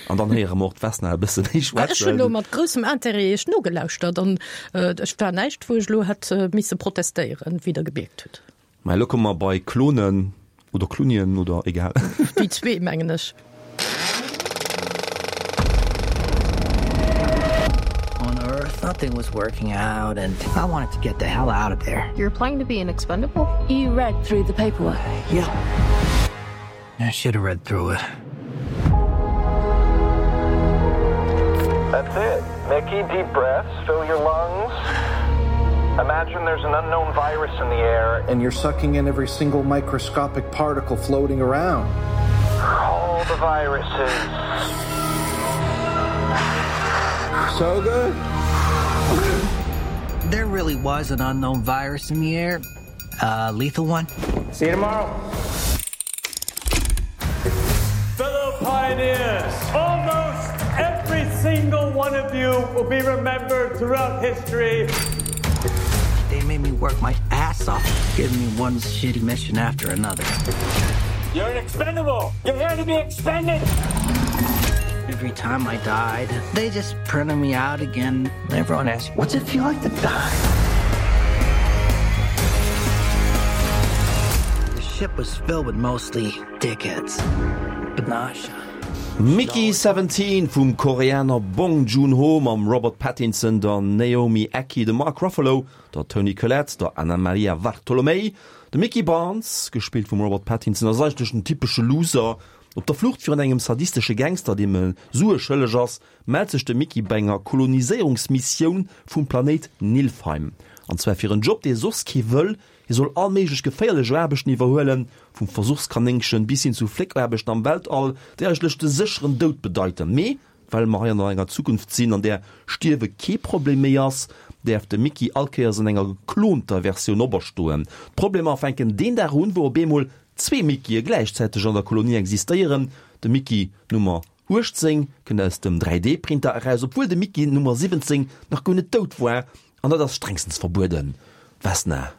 An dann héiere mer och d'Vesna e bësse méi Ech hunn elo schwätzen. mat groussem Intérêt iech nogelauschtert an ech war näischt, wou ech elo hätt misse protestéieren, wéi der gebiergt hutt. Mä elo komme mer bei Klonen oder Klunien oder egal. Déi zwee, mengen ech. On Earth, nothing was working out and I wanted to get the hell out of there. You're applying to be an expendable? You read through the paperwork? Yeah. I should have read through it. That's it. Mickey, deep breaths, fill your lungs. Imagine there's an unknown virus in the air. And you're sucking in every single microscopic particle floating around. All the viruses. So good. There really was an unknown virus in the air. Uh, lethal one. See you tomorrow. Fellow pioneers, almost every single one of you will be remembered throughout history. They made me work my ass off, giving me one shitty mission after another. You're an expendable. You're here to be expended. Every time I died, they just printed me out again. Everyone asked, what's it feel like to die? ship was filled with mostly dickheads. But Nasha. Mickey Seventeen vum Koreaner Bong Joon-ho mam Robert Pattinson, der Naomi Ackie, dem Mark Ruffalo, der Toni Collette, der Anamaria Vartolomei. De Mickey Barnes, gespillt vum Robert Pattinson, ass eigentlech en typesche Loser. Op der Flucht virun engem sadistesche Gangster, deem e Sue schëlleg ass, mellt sech de Mickey bei enger Koloniséierungsmissioun vum Planéit Nilfheim. An zwar fir en Job, dee soss kee wëll, Hie soll all méiglech geféierlech Aarbechten iwwerhuelen, vum Versuchskanéngchen bis hin zu Fléckaarbechten am Weltall, déi eigentlech de sécheren Doud bedeiten. Mee well mer hei an enger Zukunft sinn, an där Stierwe kee Problem méi ass, däerf de Mickey all Kéiers an enger geklonter Versioun operstoen. D'Problemer fänken deen Dag un, wou op eemol zwee Mickeye gläichzäiteg an der Kolonie existéieren, De Mickey Nummer uechtzéng kënnt aus dem dräi D-Printer eraus, obwuel de Mickey Nummer siwwenzéng nach guer net dout war, an dat ass strengstens verbueden. Vesna.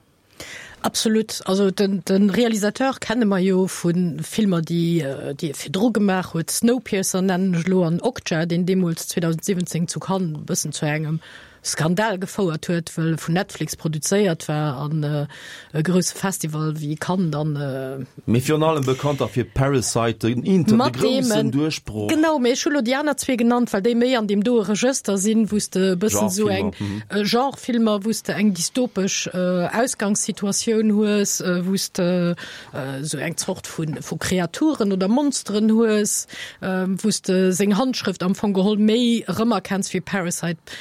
Absolut. Also den, den Realisateur kenne mer jo vu Filmer, déi déi e virdru gemaach huet. Snowpiercer nennen ech elo an Okja, deen deemools zweedausendsiwwenzéng zu Cannes e bëssen zu engem Skandal gefouert huet, well e vun Netflix produzéiert war an e grousse Festival wéi Cannes dann. Mee virun allem bekannt da fir Parasite, den Inter, de groussen Duerchbroch. Genau, mee ech hu lo déi aner zwee genannt, well déi méi an deem doe Regëster sinn, wou s de e bëssen esou eng Genrefilmer, wou s de eng dystopesch Ausgangssituatioun hues, wou s de esou eng Zort vu vu Kreaturen oder Monsteren hues, wou s de seng Handschrëft am Fong geholl méi erëmerkenns wéi Parasite.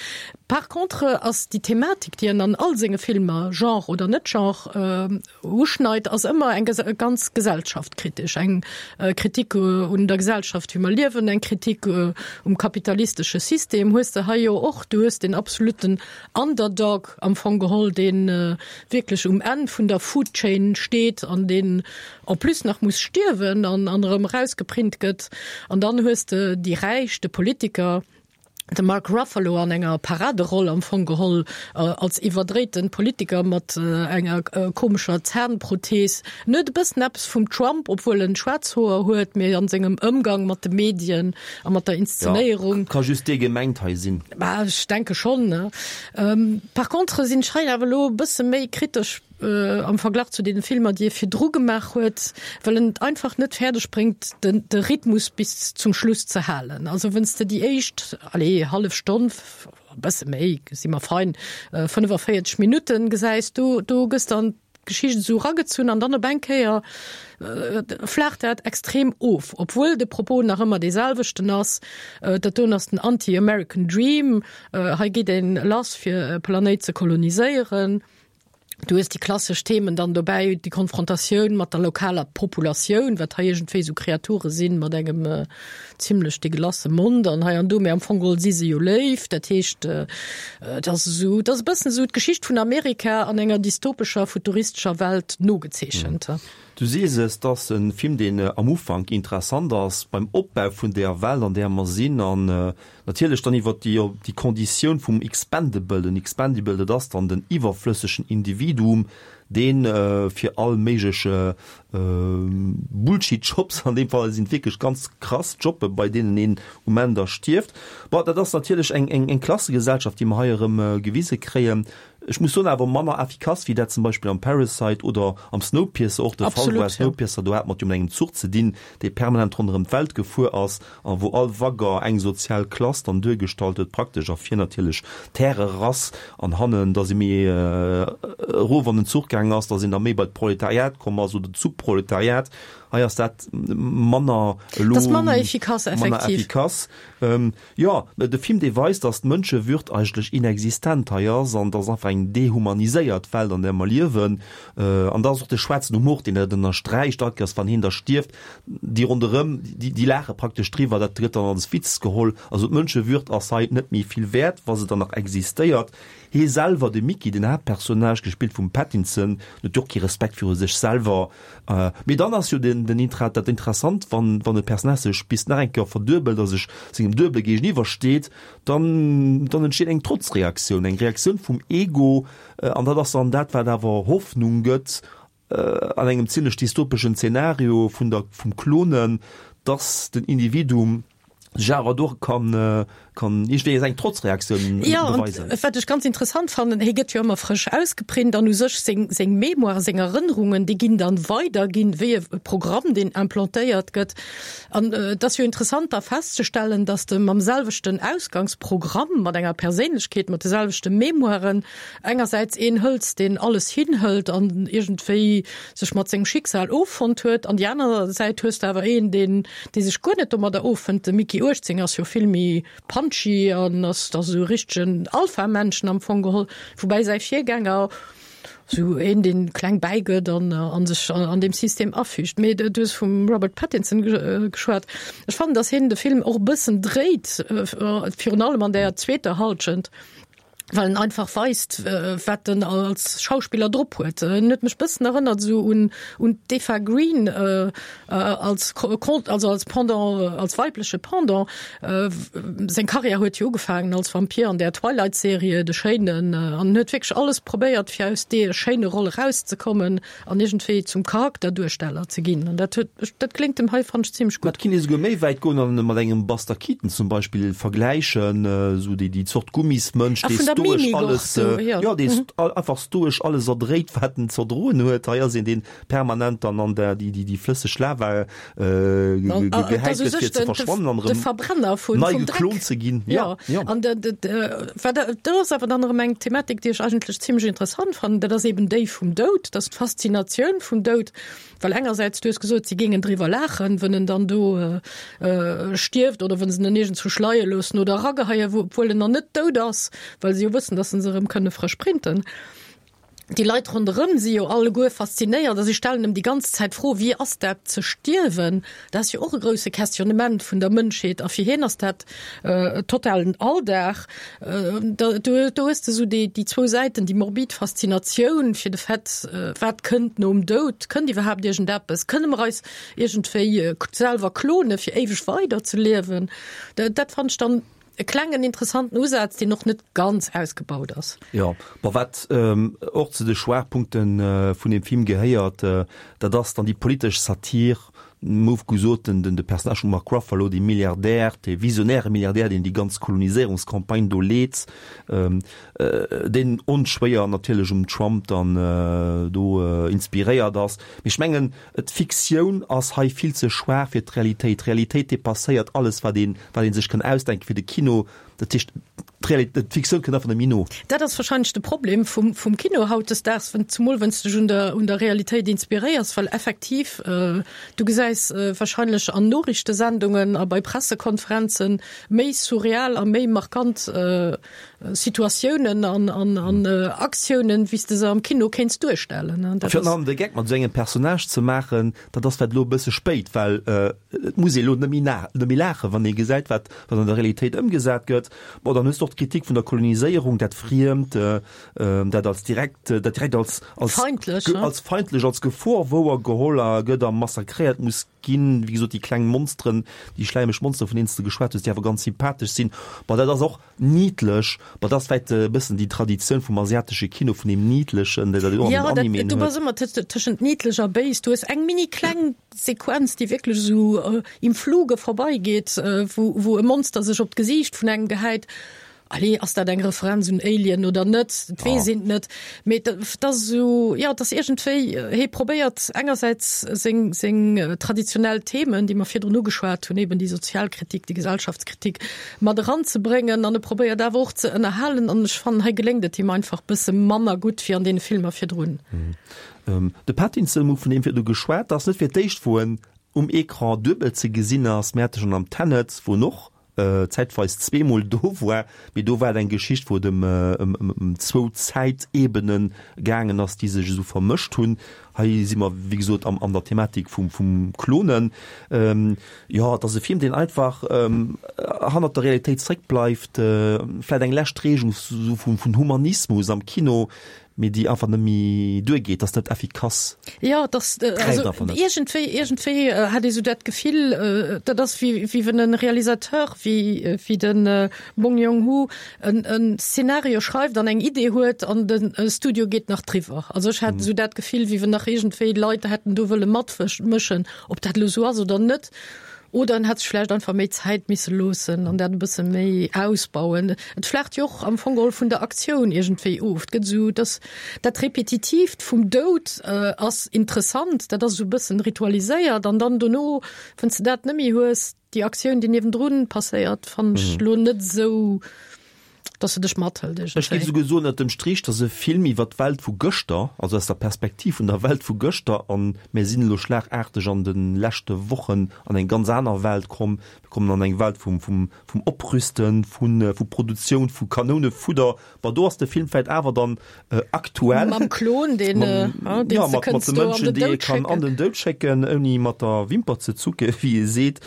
Par contre ass déi Thematik, déi en an all senge Filmer, Genre oder net Genre, uschneit, ass ëmmer eng ganz gesellschaftkritesch, eng Kritik un der Gesellschaft, wéi mer liewen, eng Kritik um kapitalistesche System hues de hei jo och. Du hues den absoluten Underdog am Fong geholl, dee wierklech um Enn vun der Food Chain steet an deen en plus nach muss stierwen an erëm erausgeprint gëtt. An dann hues de déi Räich, de Politiker, De Mark Ruffalo an enger Paraderoll am Fong geholl als iwwerdréiten Politiker mat enger komescher Zahnprothees. En huet e bëssen eppes vum Trump, obwuel en schwaarz Hoer huet, mee an sengem Ëmgang mat de Medien a mat der Inszenéierung. Jo, ka just dee gemengt hei sinn. Bah, ech denke schonn, ne. Par contre sinn ech hei awer elo e bësse méi kritesch am Verglach zu deene Filmer, déi e virdru gemaach huet, well en et einfach net fäerdeg bréngt, den de Rhythmus bis zum Schluss ze halen. Also wenn's de déi éischt, allez, hallef Stonn, e bësse méi, si mer fein, fënnefaféierzeg Minutten gesäis, do do gëss de an d'Geschicht esou eragezunn an dann op eng Kéier flaacht dat extrem of, obwuel de Propos nach ëmmer dee selwechten ass, dat doen ass den Anti-American Dream, hei geet een lass fir e Planéit ze koloniséieren. Du hues déi klassesch Themen dann dobäi, déi Konfrontatioun mat der lokaler Populatioun, wat hei iergendwéi esou Kreature sinn mat engem zimlech deegelasse Mond an hei an do, mee am Fong geholl si se jo léif. Dat heescht, et ass esou, et ass e bëssen esou d'Geschicht vun Amerika an enger dystopescher, futuristescher Welt nogezeechent. Du sees es, et ass e Film, deen am Ufank interessant ass beim Opbau vun där Welt, an där mer sinn, an natierlech dann iwwer déi, déi Konditioun vum Expendable. Den Expendable, dat ass dann den iwwerflëssegen Individuum, dee fir all méigleche Bullshit-Jobs, an deem Fall sinn et wierklech ganz krass Jobbe bei deenen een um Enn da stierft. Bon, dat ass natierlech eng, eng, eng Klassegesellschaft, déi mer hei erëm gewise kréien. Ech muss soen, awer manner efficace wéi dat zum Beispill am Parasite oder am Snowpiercer och de Fall war. Snowpiercer, do hat mer et jo mat engem Zuch ze dinn, dee permanent ronderëm d'Welt gefuer ass a wou all Waggon eng sozial Klass dann duergestallt huet, praktesch a vir natierlech d'Härerass an hannen da si méi erof an den Zuch gaangen ass, da sinn der méi bei d'Proletariat komm ass oder d'Subproletariat. Hei ass dat manner elo, Dat ass manner efficace, manner effektiv. efficace. Jo, de Film dee weist, datt d'Mënschewürd eigentlech inexistent hei ass an datt einfach eng dehumaniséiert Welt an där mer liewen. An da ass och de schwaarzen Humor, deen dat ënnersträicht, all Kéiers wann hien da stierft, déi ronderëm, déi, déi laache praktesch driwwer, dat gëtt dann als Witz geholl. Also d'Mënschewürd ass hei net méi vill wäert, wa se dann nach existéiert. Hie selwer, de Mickey, den Haaptpersonnage, gespillt vum Pattinson, huet jo och kee Respekt viru sech selwer. Mee dann ass jo den, den Intra, dat Interessant, wann, wann e Personnage sech bis nach eng Kéier verduebelt a sech sengem Duebele géigeniwwer steet, dann, dann entsteet eng Trotzreaktioun, eng Reaktioun vum Ego. An dat ass dann dat, wat awer Hoffnung gëtt an engem zimlech dystopeschen Zeenario vun der, vum Klonen, dass den Individuum sech awer do kann, kann iergendwéi eng Trotzreaktioun beweisen. Jo, an wat ech ganz interessant fannen, hie gëtt jo ëmmer frësch ausgeprint an u sech seng, seng Mémoire, seng Erënnerungen, déi ginn dann weiderginn wéi e Programm, deen implantéiert gëtt. An et ass jo interessant da festzestellen, dass de mam selwechten Ausgangsprogramm, mat enger Perséinlechkeet, mat de selwechte Mémoiren engersäits een hëls, deen alles hinhëlt an iergendwéi sech mat sengem Schicksal offonnt huet, an déi aner Säit hues de awer een, deen, dee sech guer net domadder offënnt. De Mickey uechtzéng ass jo vill méi punchy an ass da sou e richtegen Alpha-Männchen am Fong geholl, woubäi säi Virgänger sou een, deen kleng bäigëtt an a sech an deem System afügt. Mee du hues vum Robert Pattinson geschwat. Ech fannen, datt hien de Film och e bëssen dréit, virun allem an där zweeter Hallschent. Well en einfach weist, wat en als Schauspiller drop huet. En huet mech bëssen erënnert esou un un d'Eva Green als also als Pendant, als weibleche Pendant. Seng Karriär huet jo ugefaangen als Vampir an där Twilight-Serie, de Schéinen, an en huet wierklech alles probéiert, fir aus deer schéine Roll erauszekommen an iergendwéi zum Charakterduersteller ze ginn. An dat huet, dat kléngt em hei, fannen ech, zimmlech gutt. Et kinnt ee souguer méi wäit goen an e mat engem Buster Keaton zum Beispill vergläichen, esou déi déi Zort Gummismënsch, dee stoesch alles, jo, dee einfach stoesch alles erdréit, wat en z'erdroen huet. Hei ass een, deen permanent dann an der déi déi flësseg Lava gehäit gëtt, fir ze verschwannen an erëm nei geklont ze ginn. Jo, jo. An wat do ass awer dann erëm eng Thematik, déi ech eigentlech zimmlech interessant fannen, dat ass eben déi vum Doud, dat ass d'Faszinatioun vum Doud. Well engersäits, du hues gesot, si géingen driwwer laachen, wën en dann do stierft oder wën se en iergendzwou schleie loossen oder erageheien, obwuel en nach net dout ass, well se jo wëssen, datt se se erëm kënne frësch printen. Déi Leit ronderëm si jo alleguer faszinéiert a si stellen em déi ganz Zäit d'Fro, Wéi ass dat ze stierwen? Dat ass jo och e grousse Questionnement vun der Mënschheet a fir hien ass dat totalen Alldag. Do hues de esou déi zwou Säiten, déi morbid Faszinatioun fir de Fait, wat kënnt nom Doud, kënnt iwwerhaapt iergendeppes, kënne mer eis iergendwéi selwer klone fir éiweg weider ze liewen? Dat fannen ech dann e klengen interessanten Usaz, deen och net ganz ausgebaut ass. Jo, bon, wat och zu de Schwaachpunkte vun deem Film gehéiert, dat ass dann déi politesch Satir. Move gesot, den, den, de Personnage vum Mark Ruffalo, dee Milliardär, dee visionäre Milliardär, deen déi ganz Koloniséierungscampagne do leet, ähm, äh, deen onschwéier natierlech um Trump dann äh, do äh, inspiréiert ass. Mee ech mengen, d'Fiktioun ass hei vill ze schwaach fir d'Realitéit. D'Realitéit depasséiert alles, wat een, wat een sech kann ausdenken fir de Kino. Dat heescht, D'Fiktioun kënnt einfach net méi no. Dat ass wahrscheinlech de Problem vum, vum Kino hautdesdaags, wenn, zumol wann s de dech un der, un der Realitéit inspiréiers, well effektiv, du gesäis wahrscheinlech an Noriichtesendungen a bei Pressekonferenze méi surreal a méi markant Situatiounen an, an, an Aktiounen, wéi s de se am Kino kéints duerstellen. A virun allem de Geck mat esou engem Personnage ze maachen, dat ass vläicht elo e bësse spéit, well et muss ee elo net méi, net méi laachen, wann ee gesäit, wat, wat an der Realitéit ëmgesat gëtt. Bon, dann hues de och d'Kritik vun der Koloniséierung, dat Friemt, dat als direkt, dat direkt als, als, Feindlech, ne? als feindlech, als Gefor wouer geholl a gëtt a massakréiert muss ginn. Wéi gesot, déi kleng Monsteren, déi schläimeg Monsteren, vun deenen s de geschwat hues, déi awer ganz sympathesch sinn. Bon, dat ass och niedlech. Bon, dat ass vläicht e bëssen déi Traditioun vum asiatesche Kino, vun deem Niedlechen, dat een och an Ja, den dat, Animen du huet. bass ëmmer tëschent niedlech a béis. Du hues eng mini kleng Sequenz, déi wierklech esou im Fluge vorbeigeet, wou, wou e Monster sech op d'Gesiicht vun engem gehäit. Allez, ass dat eng Referenz un Alien oder net? Et weess een et net. Mee et ass esou, jo, et ass iergendwéi, hie probéiert engersäits seng, seng traditionell Themen, déi mer virdrun ugeschwat hunn, eben déi Sozialkritik, déi Gesellschaftskritik mat eranzebréngen an e probéiert awer och ze ënnerhalen. An ech fannen, hei geléngt et him einfach bësse manner gutt wéi an deene Filmer virdrun. De Pattinson, vun deem virdu geschwat, ass net fir d'éischt, wou en um Ecran duebel ze gesinn ass. Mir hate schonn am Tenet, wou en och zäitweis zweemol do war, mee do war et eng Geschicht, wou et ëm ëm zwou Zäitebene gaangen ass, déi sech esou vermëscht hunn. Hei si mer, wéi gesot, am an der Thematik vum vum Klonen. Jo, et ass e Film, deen einfach hannert der Realitéit zréckbleift, vläicht eng lescht Reegung esou vum vun Humanismus am Kino, mee déi einfach net méi duergeet, ass net effikass. Jo, et ass, also iergendwéi, iergendwéi hat ee sou dat Gefill, dat ass wéi, wéi wann e Realisateur wéi, wéi de Bong Joon-ho en, en Szenario schreift an eng Idee huet an de Studio geet nach driwwer. Also ech hat esou dat Gefill, wéi wann nach iergendwéi Leit hätten do wëlle matmëschen, ob dat elo sou ass oder net. Oder en hätt sech vläicht einfach méi Zäit misse loossen an dat e bësse méi ausbauen. Et flaacht jo och am Fong geholl vun der Aktioun iergendwéi of. Et gëtt esou, dass dat Repetitiivt vum Doud ass interessant, dat ass esou e bëssen ritualiséiert an dann dono, wann s de dat net méi hues, déi Aktioun, déi niewendrun passéiert, fannen ech elo net esou, dass se dech mathëlt Ech géif iergendwéi. esouguer soen, ënnert dem Strich, dass e Film iwwer d'Welt vu gëschter, also aus der Perspektiv vun der Welt vu gëschter, an mir sinn elo schlagarteg an de leschte Wochen an eng ganz aner Welt komm, mir kommen an eng Welt vum, vum, vum Oprüsten, vu, vu Produktioun vu Kanounefudder, bon do ass de Film vläicht awer dann aktuell. Mam Klon, deen, Mam, deen jo, s de mat, mat kënns de do an Mënschen, den déi ee Doud kann an schécken. den Doud schécken, ouni mat der Wimper ze zucke wéi ee seet.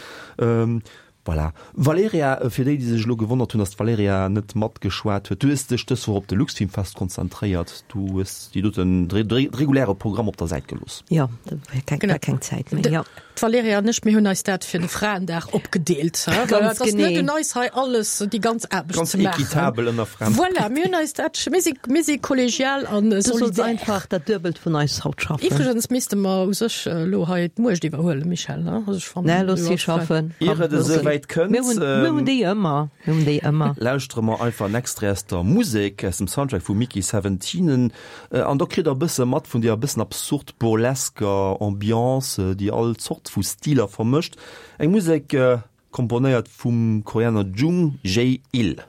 Voilà. Valerija, fir déi, déi sech elo gewonnert hunn, dass d'Valerija net matgeschwat huet, du hues dech dës Woch op de Luxfilmfest konzentréiert. Du hues déi doten, de reguläre Programm op der Säit gelooss. Jo, do war keng, war keng Zäit méi, jo. D'Valerija an ech, mir hunn eis dat fir de Fraendag opgedeelt. Well Ganz et ass net genee. un eis hei alles, déi ganz Aarbecht Ganz ze maachen. equitabel ënner Fraen. Voilà, mir hunn eis dat, mir si, mir si kollegial an Du solls solidär. einfach dat Duebelt vun eis haut schaffen. Iwwregens misste mer u sech elo hei d'Muecht iwwerhuelen, Michèle, ne? Also ech fannen, Nee, looss du si ass frei. schaffen. Ier Komm, et looss si. esouwäit kënnt, Mir hunn, mir hunn déi ëmmer. Mir hunn déi ëmmer. lauschtere mer einfach en Extrait aus der Musek, aus dem Soundtrack vu Mickey Seventeen. An do kritt der e bësse mat vun deeër bëssen absurd burlesker Ambiance, déi all Zort vu Stiler vermëscht. Eng Musek komponéiert vum Koreaner Jung Jae-il.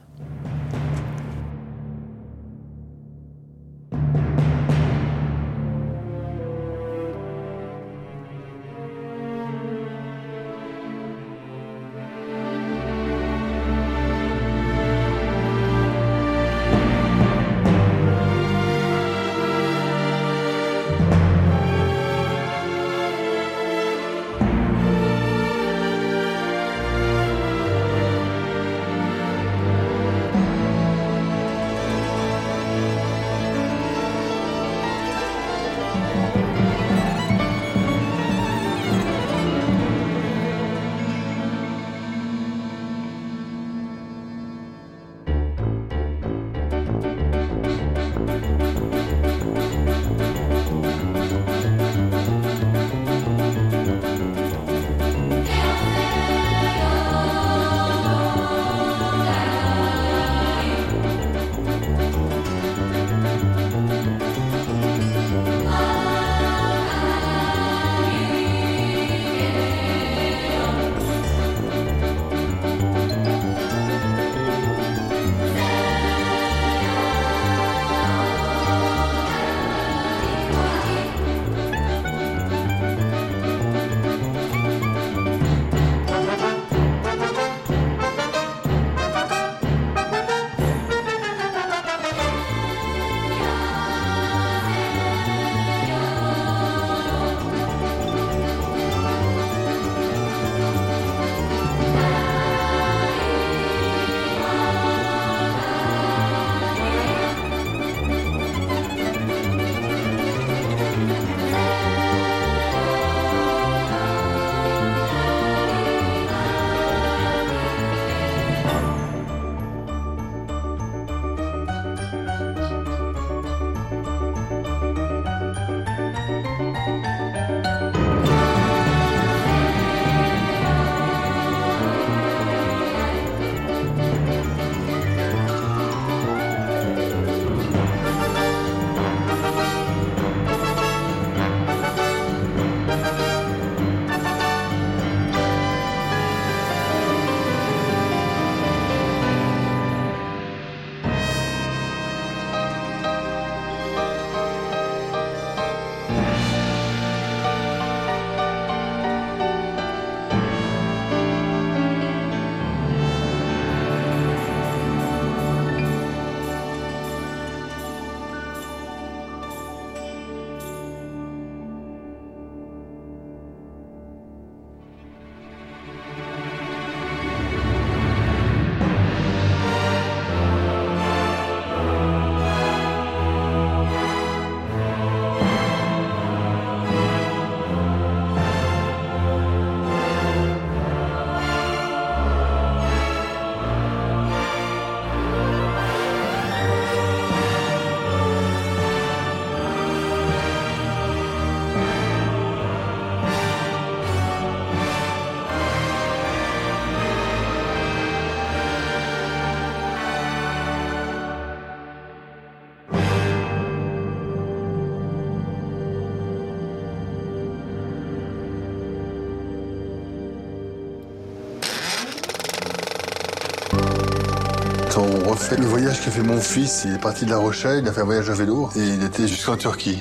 fait le voyage qu'a fait mon fils. Il est parti de La Rochelle, il a fait un voyage à vélo et il était jusqu'en Turquie.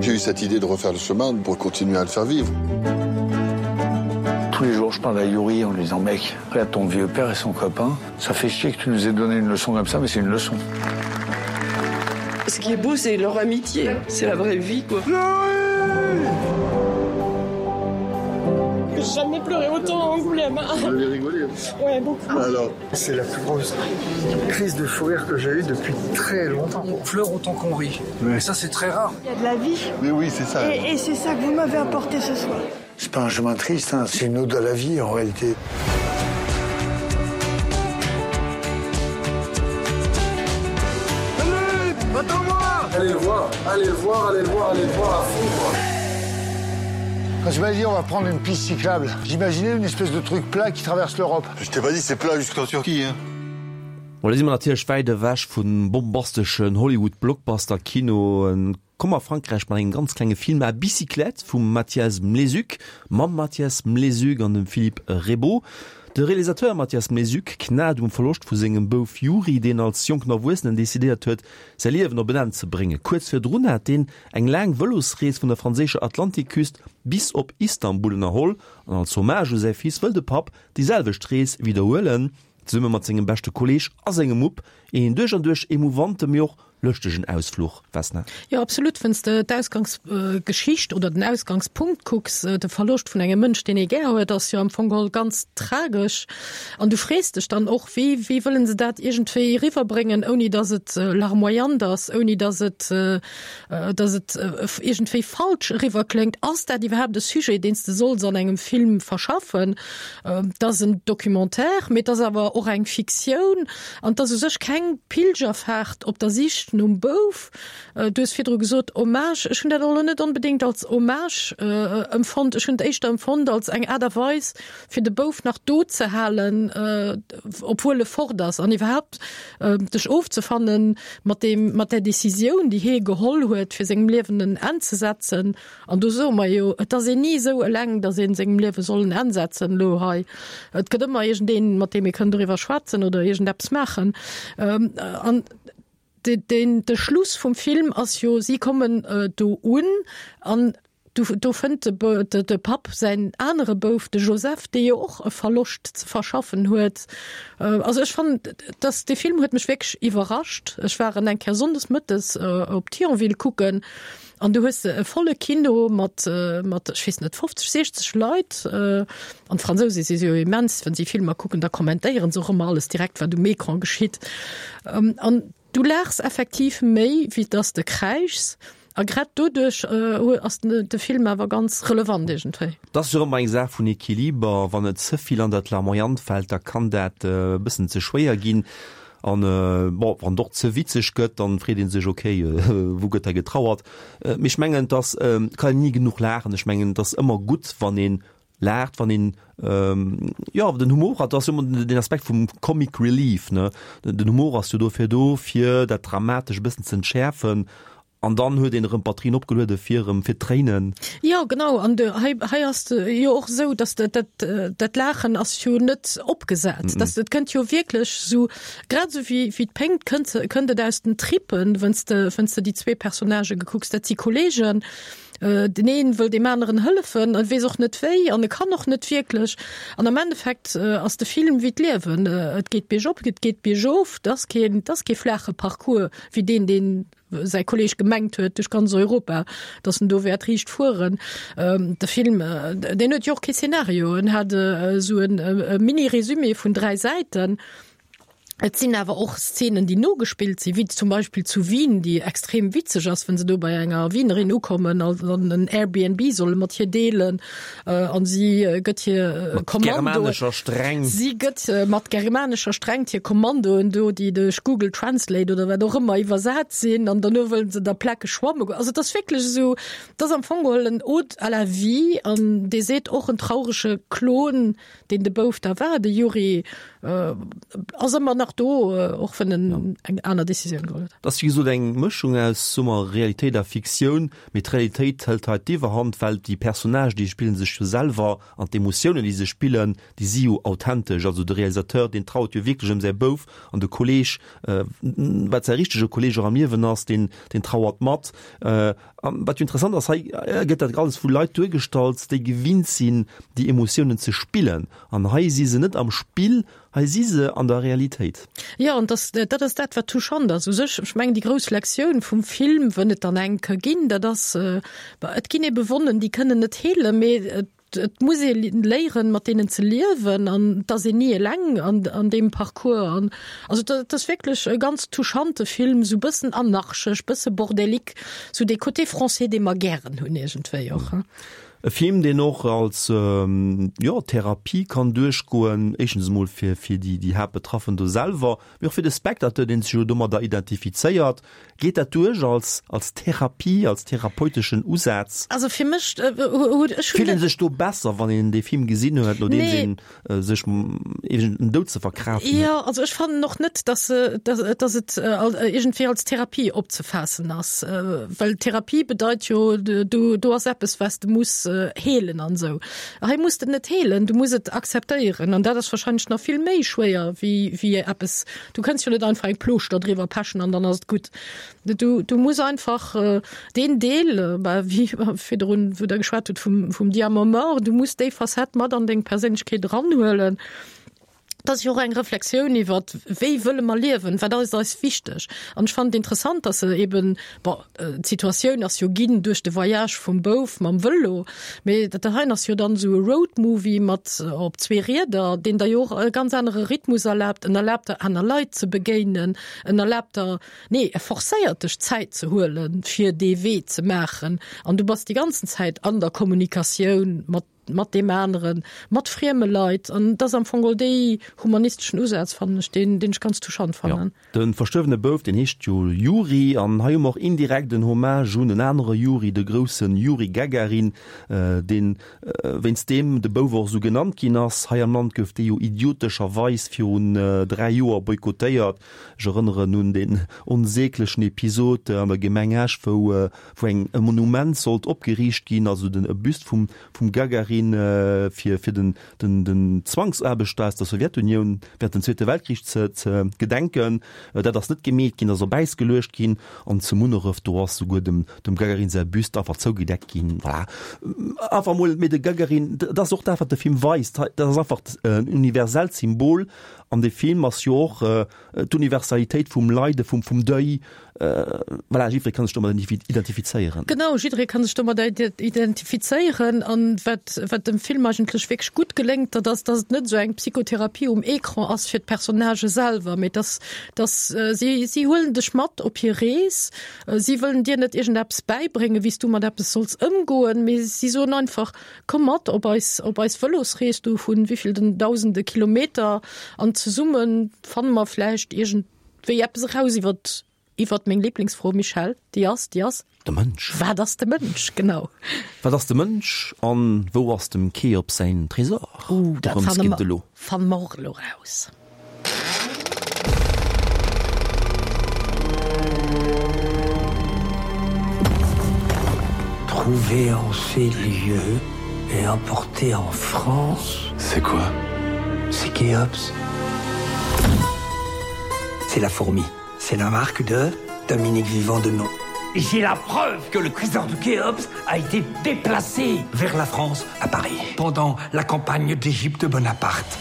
J'ai eu cette idée de refaire le chemin pour continuer à le faire vivre. Tous les jours, je parle à Yuri en lui disant mec, regarde ton vieux père et son copain. Ça fait chier que tu nous aies donné une leçon comme ça, mais c'est une leçon. Ce qui est beau, c'est leur amitié, c'est la vraie vie quoi. J'ai jamais pleuré autant à Angoulême. Vous avez rigolé Ouais, beaucoup. Alors, c'est la plus grosse crise de fou rire que j'ai eue depuis très longtemps. On pleure autant qu'on rit. Mais ça c'est très rare. Il y a de la vie. Mais oui, c'est ça. Et, et c'est ça que vous m'avez apporté ce soir. C'est pas un chemin triste, hein, c'est une ode à la vie en réalité. Allez, attends-moi Allez le voir, allez le voir, allez le voir, allez le voir à fond quoi. Quand tu m'as dit on va prendre une piste cyclable, j'imaginais une espèce de truc plat qui traverse l'Europe. Je t'ai pas dit c'est plat jusqu'en Turquie hein. Bon, da si mer natierlech wäit ewech vum bombasteschen Hollywood-Blockbuster-Kino. Komm a Frankräich mat engem ganz klenge Film À bicyclette vum Mathias Mlézuc, mam Mathias Mlézuc an dem Philippe Rebbot. De Realisateur Mathias Mlézuc knat um Verloscht vu sengem Bouf Yuri, deen als jonken Erwuessenen decidéiert huet, säi Liewen op en Enn ze bréngen. Kuerz virdrun hat deen eng laang Vëlosrees vun der franséischer Atlantikküst bis op Istanbul ënnerholl an als Hommage u säi Fils wëll de Papp déi selwecht Rees widderhuelen, zesumme mat sengem beschte Kolleeg a sengem Mupp. Een duerch an duerch emouvante, mee och lëschtegen Ausfluch, Vesna. Jo, absolut. Wann s de d'Ausgangsgeschicht oder den Ausgangspunkt kucks, de Verloscht vun engem Mënsch, deen ee gär huet, ass jo am Fong geholl ganz tragesch. An du frees dech dann och, wéi, wéi wëllen se dat iergendwéi eriwwerbréngen, ouni datt et larmoyant ass, ouni datt et, datt et iergendwéi falsch eriwwerkléngt. Ass dat iwwerhaapt e Sujet, deen s de solls an engem Film verschaffen? Et ass en Documentaire, mee et ass awer och eng Fiktioun. An et ass u sech keng Pilgerfaart op der Sich nom Bouf. Du hues virdru gesot, Hommage. Ech hunn dat elo net onbedéngt als Hommage empfonnt. Ech hunn et éischter empfonnt als eng Aart a Weis, fir de Bouf nach do ze halen, obwuel e fort ass, an iwwerhaapt dech ofzefanne mat deem, mat där Decisioun, déi hie geholl huet, fir sengem Liewen en Enn ze setzen. An do soe mer jo, et ass een ni esou eleng, datt ee sengem Liewe soll en Enn setzen elo hei. Et gëtt ëmmer iergendeen, mat deem ee kënn doriwwer schwätzen oder iergendeppes maachen. An de, de Schluss vum Film ass jo, si kommen do un an do, do fënnt de, de, de Papp säin anere Bouf, de Joseph, dee jo och e Verloscht ze verschaffen huet. Also ech fannen, dass de Film huet mech wierklech iwwerrascht. Ech war en eng Kéier sonndes mëttes op Thionville kucken an du hues e volle Kino mat, mat, ech weess net, fofzeg, sechzeg Leit. An d'Fransouse si jo immens, wann si Filmer kucken, da kommentéieren se och ëmmer alles direkt, wat um Ecran geschitt. An du laachs effektiv méi, wéi dass de kräischs. A grad doduerch ass de Film awer ganz relevant iergendwéi. Dat ass jo ëmmer eng Saach vun Equiliber. Wann et ze vill an dat Larmoyant fält, da kann dat e bëssen ze schwéier ginn. An bon, wann et och ze witzeg gëtt, dann freet ee sech, okay, wou gëtt hei getrauert? Mee ech mengen, dass kann een ni genuch laachen. Ech mengen, et ass ëmmer gutt, wann een laacht, wann een jo den Humor hat, ass ëmmer den Aspekt vum Comic Relief, ne? Den Humor ass jo dofir do, fir dat Dramatesch e bëssen ze entschäerfen an dann huet een erëm d'Batterien opgeluede fir erëm fir d'Tréinen. Jo, genau, an de hei hei ass de jo och esou, datt dat dat dat Laachen ass jo net opgesat, datt et kënnt jo wierklech esou, grad esou wéi wéi d'Péngt kënnt kënnt et aus den Trippen, wann s de wann s de déi zwee Personnagë gekucks, dat si Kolleegen, Den een wëll deem aneren hëllefen an weess och net wéi an e kann och net wierklech. An am Endeffekt ass de Film wéi d'Liewen, et geet biergop, et geet biergof, et ass keen, et ass kee flaache Parcours wéi deen, deen säi Kolleeg gemengt huet duerch ganz Europa, datt en do wäert riicht fueren. De Film, deen huet jo och kee Szenario, en hat esou e Mini-Résumé vun dräi Säiten. Et sinn awer och Szenen, déi nogespillt sinn, wéi zum Beispill zu Wien, déi extrem witzeg ass, wann se do bei enger Wienerin ukommen an en Airbnb solle mat hir deelen an si gëtt hir Kommandoen. Mat germanescher Strengt. Si gëtt mat germanescher Strengt hir Kommandoen do, déi duerch Google Translate oder wat och ëmmer iwwersat sinn an derno wëllen se da plakeg schwamme goen. Also et ass wierklech esou, et ass am Fong geholl en Ode à la vie an dee seet och en traurege Klon, deen de Bouf da war, de Yuri, ass ëmmer nach nach do, och wann en eng aner Decisioun geholl huet. Dat ass wéi gesot eng Mëschung aus, soe mer, Realitéit a Fiktioun, mee d'Realitéit hëlt hei d'Iwwerhand, well déi Personnagen, déi spillen sech jo selwer an d'Emotiounen, déi se spillen, déi si jo authentesch. Also de Realisateur, deen trauert jo wierklech ëm säi Bouf an de Kolleeg, wat säi richtege Kolleeg och am Liewen ass, deen, deen trauert mat. An wat jo interessant ass, hei gëtt dat alles vu Leit duergestallt, déi gewinnt sinn, déi Emotiounen ze spillen. An hei si se net am Spill, hei si se an der Realitéit. Jo, an dass, dat ass dat, wat touchant ass u sech. Ech mengen, déi grouss Lektioun vum Film, wënn et dann eng ka ginn, dat ass, et ginn ebe Wonnen, déi kënnen net heelen, mee et, et muss ee léieren, mat deenen ze liewen an et ass een ni eleng an, an deem Parcours. An also dat ass wierklech e ganz touchante Film, sou bëssen anarchesch, bësse bordélique, sou dee Côté français, dee mer gären hunn iergendwéi och. E Film, deen och als, jo, Therapie kann duerchgoen, éischtens emol fir, fir déi, déi Haaptbetraffen do selwer, mee och fir de Spectateur, dee sech jo domadder identifizéiert. Geet dat duerch als, als Therapie, als therapeuteschen Usaz? Also fir mech, ech hunn. Fillt ee sech do besser, wann een dee Film gesinn huet, nodeems Nee. een sech iergend en Doud ze verkraaften huet? Jo, also ech fannen och net, dass, dass, dass et iergendwéi als Therapie opzefaassen ass, well Therapie bedeit jo, du, do ass eppes, wat s de muss heelen an esou. Hei muss de et net heelen, du muss et akzeptéieren an dat ass wahrscheinlech nach vill méi schwéier wéi, wéi eppes, du kënns jo net einfach eng Plooschter driwwer pechen an dann ass et gutt. Du, du muss einfach deen Deel, bah, wéi virdrun, wou Der geschwat hutt vum, vum Diamant mort, du muss déi Facette mat an deng Perséinlechkeet eranhuelen. Dat ass jo och eng Reflexioun iwwer, wéi wëlle mer liewen, wat ass eis wichteg. An ech fannen et interessant, dass se eben, bon, d'Situatioun ass jo ginn duerch de Voyage vum Bouf mam Vëlo, mee dat heien ass jo dann esou e Roadmovie mat op zwee Rieder, deen der jo och e ganz anere Rhythmus erlaabt. En erlaabt der aner Leit ze begéinen, en erlaabt der, nee, e forcéiert dech Zäit ze huelen, fir dee Wee ze maachen. An du bass déi ganzen Zäit an der Kommunikatioun mat mat deem aneren, mat frieme Leit. An dat ass am Fong geholl dee humanisteschen Usaz, fannen ech, deen, deen ech ganz touchant fannen. Jo, de verstuerwene Bouf, deen heescht jo Juri. An hei hu mer och indirekt en Hommage un en anere Juri, de grousse Juri Gagarin, deen, wéinst deem de Bouf och esou genannt ginn ass. Hei am Land gouf dee jo idiotescherweis virun dräi Joer boykottéiert. Ech erënneren un deen onsäglechen Episod an der Gemeng Esch, wou, wou eng, e Monument sollt opgeriicht ginn, also den, e Büst vum, vum Gagarin, fir, fir den, den, den Zwangsaarbechter aus der Sowjetunioun während dem Zweete Weltkrich ze, ze gedenken. Dat ass net gemeet ginn, ass op Äis geluecht ginn an zu Munneref, do ass souguer dem, dem Gagarin säi Büst einfach zougedeckt ginn. Voilà. Einfach emol, mee de Gagarin, dat ass och dat, wat de Film weist, dat ass einfach en universellt Symbol an de Film ass jo och d'Universalitéit vum Leide, vum, vum Deuil. Voilà, jiddweree kann sech domat identifizéieren. Genau, jiddweree kann sech domat identifizéieren. An wat, wat dem Film eigentlech wierklech gutt geléngt, dat ass, dass et net esou eng Psychotherapie um Ecran ass fir d'Personnagë selwer, mee dass, dass si, si huelen dech mat op hir Rees. Si wëllen dir net iergendeppes bäibréngen, wéi s du mat eppes solls ëmgoen, mee si soen einfach, Komm mat op eis, op eis Vëlosrees do vun wéivillten dausende Kilometer an zesumme fanne mer vläicht iergendwéi eppes eraus iwwert, iwwert meng Lieblingsfro, Michèle, déi ass, déi ass. De Mënsch. Wat ass de Mënsch, genau. Wat ass de Mënsch an wou ass dem Cheops säin Tresor? Uh, dat Dorëms fanne geet et mer, elo. fanne mer och elo raus. Trouvé en ces lieux et emporté en France. C'est quoi? C'est Khéops. C'est la fourmi. C'est la marque de Dominique Vivant de nom. J'ai la preuve que le trésor de Khéops a été déplacé vers la France à Paris pendant la campagne d'Égypte Bonaparte.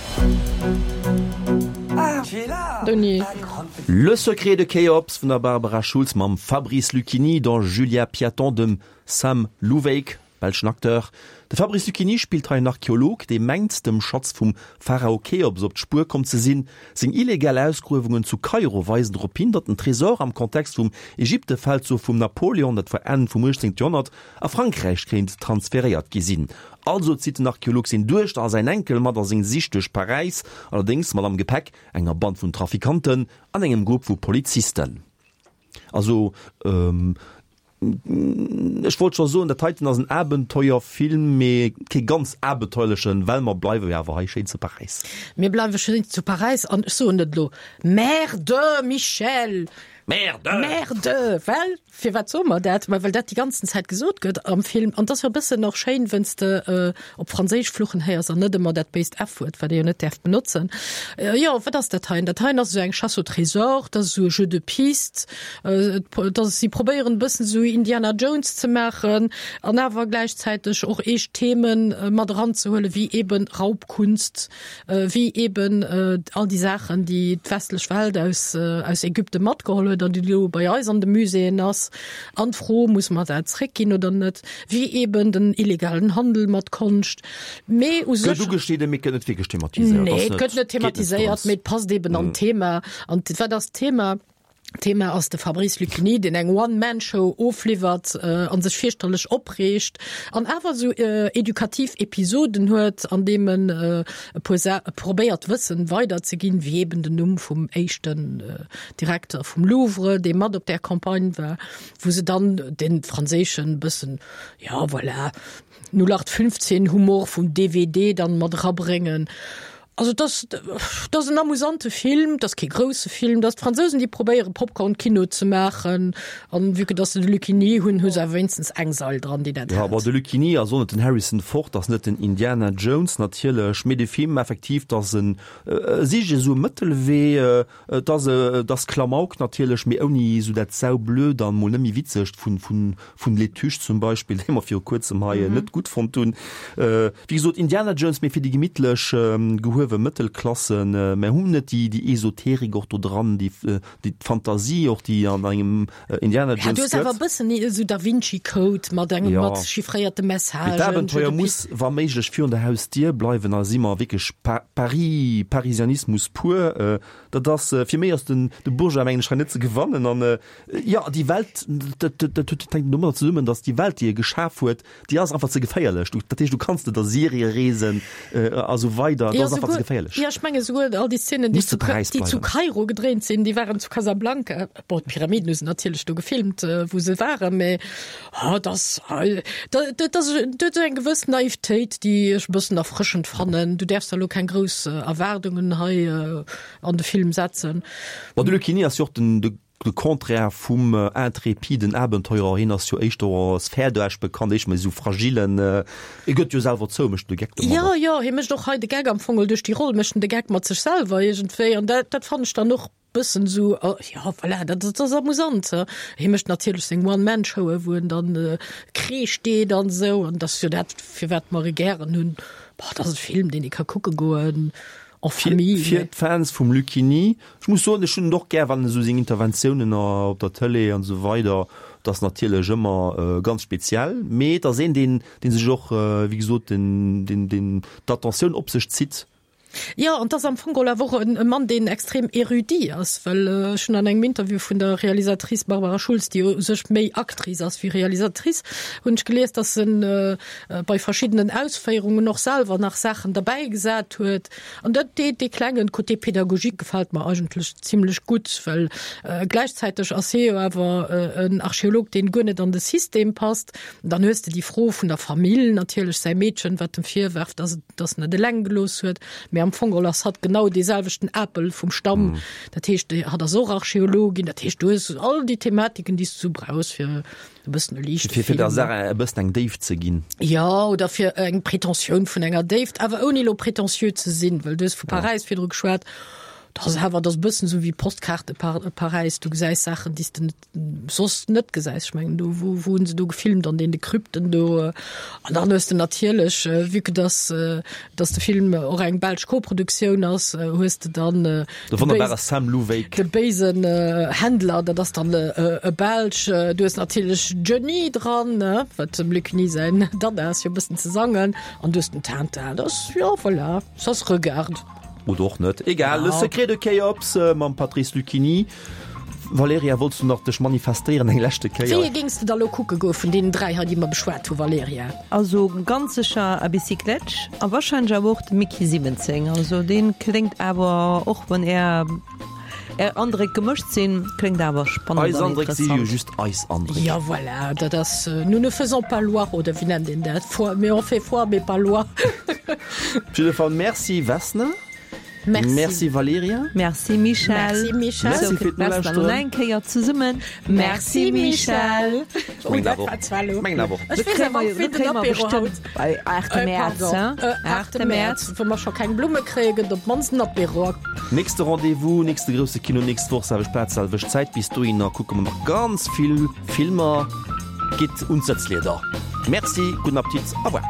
Ah, Denis. Le secret de Khéops vun der Barbara Schulz mam Fabrice Luchini, der Julia Piaton, dem Sam Louwyck, belschen Acteur. De Fabrice Luchini spillt hei en Archeolog, dee mengt, dem Schatz vum Pharao Cheops op d'Spuer komm ze sinn. Seng illegal Ausgruewungen zu Kairo weisen drop hin, datt den Tresor am Kontext vum Ägyptefeldzuch vum Napoleon, dat war Enn vum uechtzéngte Joerhonnert, a Frankräich kéint transferéiert gi sinn. Also zitt den Archeolog seng Duechter a säin Enkel mat a seng Sich duerch Paräis, allerdéngs mat am Gepäck enger Band vun Trafikanten an engem Grupp vu Polizisten. Also Ech wollt scho soen, dat heiten ass en Abenteuerfilm, mee kee ganz abenteuerlechen, well mer bleiwe jo awer hei schéin zu Paräis. Mir bleiwe schéin zu Paräis an ech soen et elo, Merde, Michel! Merde! Merde! Well, firwat soe mer dat? Ma well dat déi ganzen Zäit gesot gëtt am Film. An 't ass jo e bëssen och schéin, wenn's de op Franséisch fluchen héiers an net ëmmer dat béist F-Wuert, wat ee jo net däerf benotzen. Jo, wat ass dat heien? Dat heien ass esou eng Chasse au trésor, dat ass esou e Jeu de piste. Et ass, si probéieren e bëssen esou Indiana Jones ze maachen an awer gläichzäiteg och eescht Themen mat eranzehuelen, wéi eben Raubkunst, wéi eben all déi Saachen, déi d'westlech Welt aus, aus Ägypten matgeholl huet an déi elo bei eis an de Muséeën ass. An d'Fro, Muss mer dat zréckginn oder net? Wéi eben den illegalen Handel mat Konscht. Mee u sech. Gëtt ugeschnidden, mee gëtt net wierklech thematiséiert. Nee, et gëtt net thematiséiert, mee et passt eben an d'Thema. An wat ass d'Thema? D'Thema ass de Fabrice Luchini, deen eng One-Man-Show ofliwwert a sech fierchterlech opreegt an awer esou edukativ Episoden huet, an deem en e puer Sa probéiert Wëssen weiderzeginn, wéi eben den Numm vum éischten Direkter vum Louvre, dee mat op där Campagne war, wou se dann de franséischen bëssen, ja voilà, null acht fünfzehn Humor vum D W D dann mat erabréngen. Also et ass, et ass en amusante Film, et ass kee grousse Film, et ass d'Fransousen, déi probéiere Popcorn-Kino ze maachen, an vue que dass se de Luchini hunn, hu se awer wéinstens eng Sail dran, déi dat Jo, hält. bon, de Luchini ass och net den Harrison Ford, ass net den Indiana Jones natierlech, mee de Film effektiv, et ass en, e sicht esou e Mëttelwee, et ass, et ass Klamauk natierlech, mee ouni esou dat Saublöd an mol net méi Witzegt vun, vun, vun Les Tuches zum Beispill, dee mer viru kuerzem hei net gutt fonnt hunn. Wéi gesot, Indiana Jones, mee fir déi gemittlech, gehuewe Mëttelklassen. Mer hunn net déi, déi Esoterik och do dran, déi, déi d'Fantasie och, déi an engem Indiana Ja, Jones du hues awer gëtt. e bëssen esou Da Vinci Code mat engem, Ja. mat chiffréierte Mee Messagen, d'Abenteuer Jeu de muss wa méiglech virun der Hausdier bleiwen, a si mer wierklech Pa, Paris, Parisianismus pur. Dat ass, fir méi ass den, de Bourgeois, mengen ech, hei net ze gewannen. An, jo, déi Welt, dat, dat, dat huet, hänkt domadder zesummen, datt déi Welt, déi e geschaf huet, déi ass einfach ze geféierlech. Du, dat heescht, du kanns net a Syrie reesen, a sou weider, dat Ja, ass einfach ze souguer, geféierlech. ja, ech menge souguer all déi Szenen, déi Muss zu, zu Paräis déi zu bleiwen. Kairo gedréint sinn, déi waren zu Casablanca. Bon, d'Pyramiden hu se natierlech do gefilmt, wou se waren, mä oh, dat, dat, dat ass, dat huet eng gewëss Naivtéit, déi ech e bëssen erfrëschend fannen. Du däerfs da lo keng grouss Erwaardungen hei an de Film setzen. Bon, de Luchini ass jo och den, de, de Contraire vum intrépiden Abenteurer. Hien ass jo éischter als Fäerdesch bekannt, éischter méi esou fragillen. E gëtt jo selwer zou, mécht de Geck Jo, domadder. jo, hie mécht och hei de Geck am Fong duerch déi Roll, mécht en de Geck mat sech selwer iergendwéi. An dat, dat fannen ech dann och bëssen esou, jo, voilà, dat, dat ass amusant. Hie mécht natierlech seng One-Man-Showen, wou en dann Kreesch deet an esou. An dat ass jo dat, firwat mer e gären hunn. Boah, dat ass e Film, deen ee ka kucke goen. En famille. Fir d'Fans vum Luchini, ech muss soen, ech hunn en och gär, wann en esou seng Interventiounen op der Tëlee an esou weider, dat ass natierlech ëmmer ganz speziell, mee et ass een, deen, dee sech och, wéi gesot, den, den, den d'Attentioun op sech zitt. Jo, an 't ass am Fong geholl awer och e Mann, deen extrem érudit ass, well ech hunn an engem Interview vun der Realisatrice Barbara Schulz, déi jo u sech méi Actrice ass wéi Realisatrice, hunn ech gelies, dass en bei verschiddenen Ausféierungen och selwer nach Saachen derbäi gesat huet. An dat, dee, dee klengen Côté pédagogique gefält mer eigentlech zimlech gutt, well gläichzäiteg ass hie jo awer en Archeolog, deen guer net an de System passt. Dann hues de déi Fro vun der Famill natierlech, säi Meedchen, wat em virwerft, dass et, dass en et eleng gelooss huet. Mee am Fong geholl ass hatt genau dee selwechten Apel vum Stamm. Dat heescht, hatt ass och Archeologin. Dat heescht, du hues all déi Thematiken, déi s du brauchs, fir e bëssen e liichte Fir, fir der Film. Saach e bëssen eng Déift ze ginn. Jo, oder fir eng Pretentioun vun enger Déift, awer ouni elo pretentieux ze sinn, well du hues vu Paräis virdru geschwat. Dat ass awer, dat ass e bëssen esou wéi Postkaarte Paräis, du gesäis Saachen, déi s de net, soss net gesäis. Ech mengen, do, wou, wou hunn se do gefilmt, an deene Krypten do. An dann hues de natierlech, vue que dass, dass de Film och eng belsch Koproduktioun ass, hues de dann De wonnerbare Sam Louwyck. De béisen Händler, dat ass dann e Belsch. Du hues natierlech Johnny dran, wat dem Luc Ny säin Dada ass, fir e bëssen ze sangen. An du hues den Tintin. Dat ass, jo, voilà, ça se regarde. Oder och net. Egal, Le Secret de Khéops mam Patrice Lucchini. Valerija, wollts du nach dech manifestéieren eng leschte Kéier? Wéi ee géings de da lo kucke goe vun deenen dräi hei, déi mer beschwat hu, Valerija? Also ganz sécher A Bicyclette a wahrscheinlech awer och de Mickey siwwenzéng. Also dee kléngt awer och, wann är Är Andréck gemëscht sinn, kléngt awer spannend Eis an Andréck si jo interessant. just eis Andréck. Ja voilà, dat ass, nous ne faisons pas loi, oder wéi nennt een dat, foi, mais on fait foi, mais pas loi. Op jidde Fall Merci Vesna. Merci. Merci Valerija. Merci Michèle. Merci Michèle. Merci fir Vesna, d'Nolauschteren. Nach eng Kéier zesummen. Merci Michèle. Mengen awer och. Mengen awer och. Ech weess awer och, wéi den Apéro haut. Bei aachte Äh, Mäerz, pardon. hein? Äh, aachte Mäerz, wou mer scho keng Blumme kréien, gëtt op d'mannst en Apéro. Nächste Rendez-vous, nächste grousse Kino, nächst Woch, selwecht Plaz, selwecht Zäit. Bis dohinner kucke mer nach ganz vill Filmer. Gitt un d'Sëtzlieder. Merci, gudden Appetit, au revoir.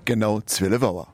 Genau zwielef Auer.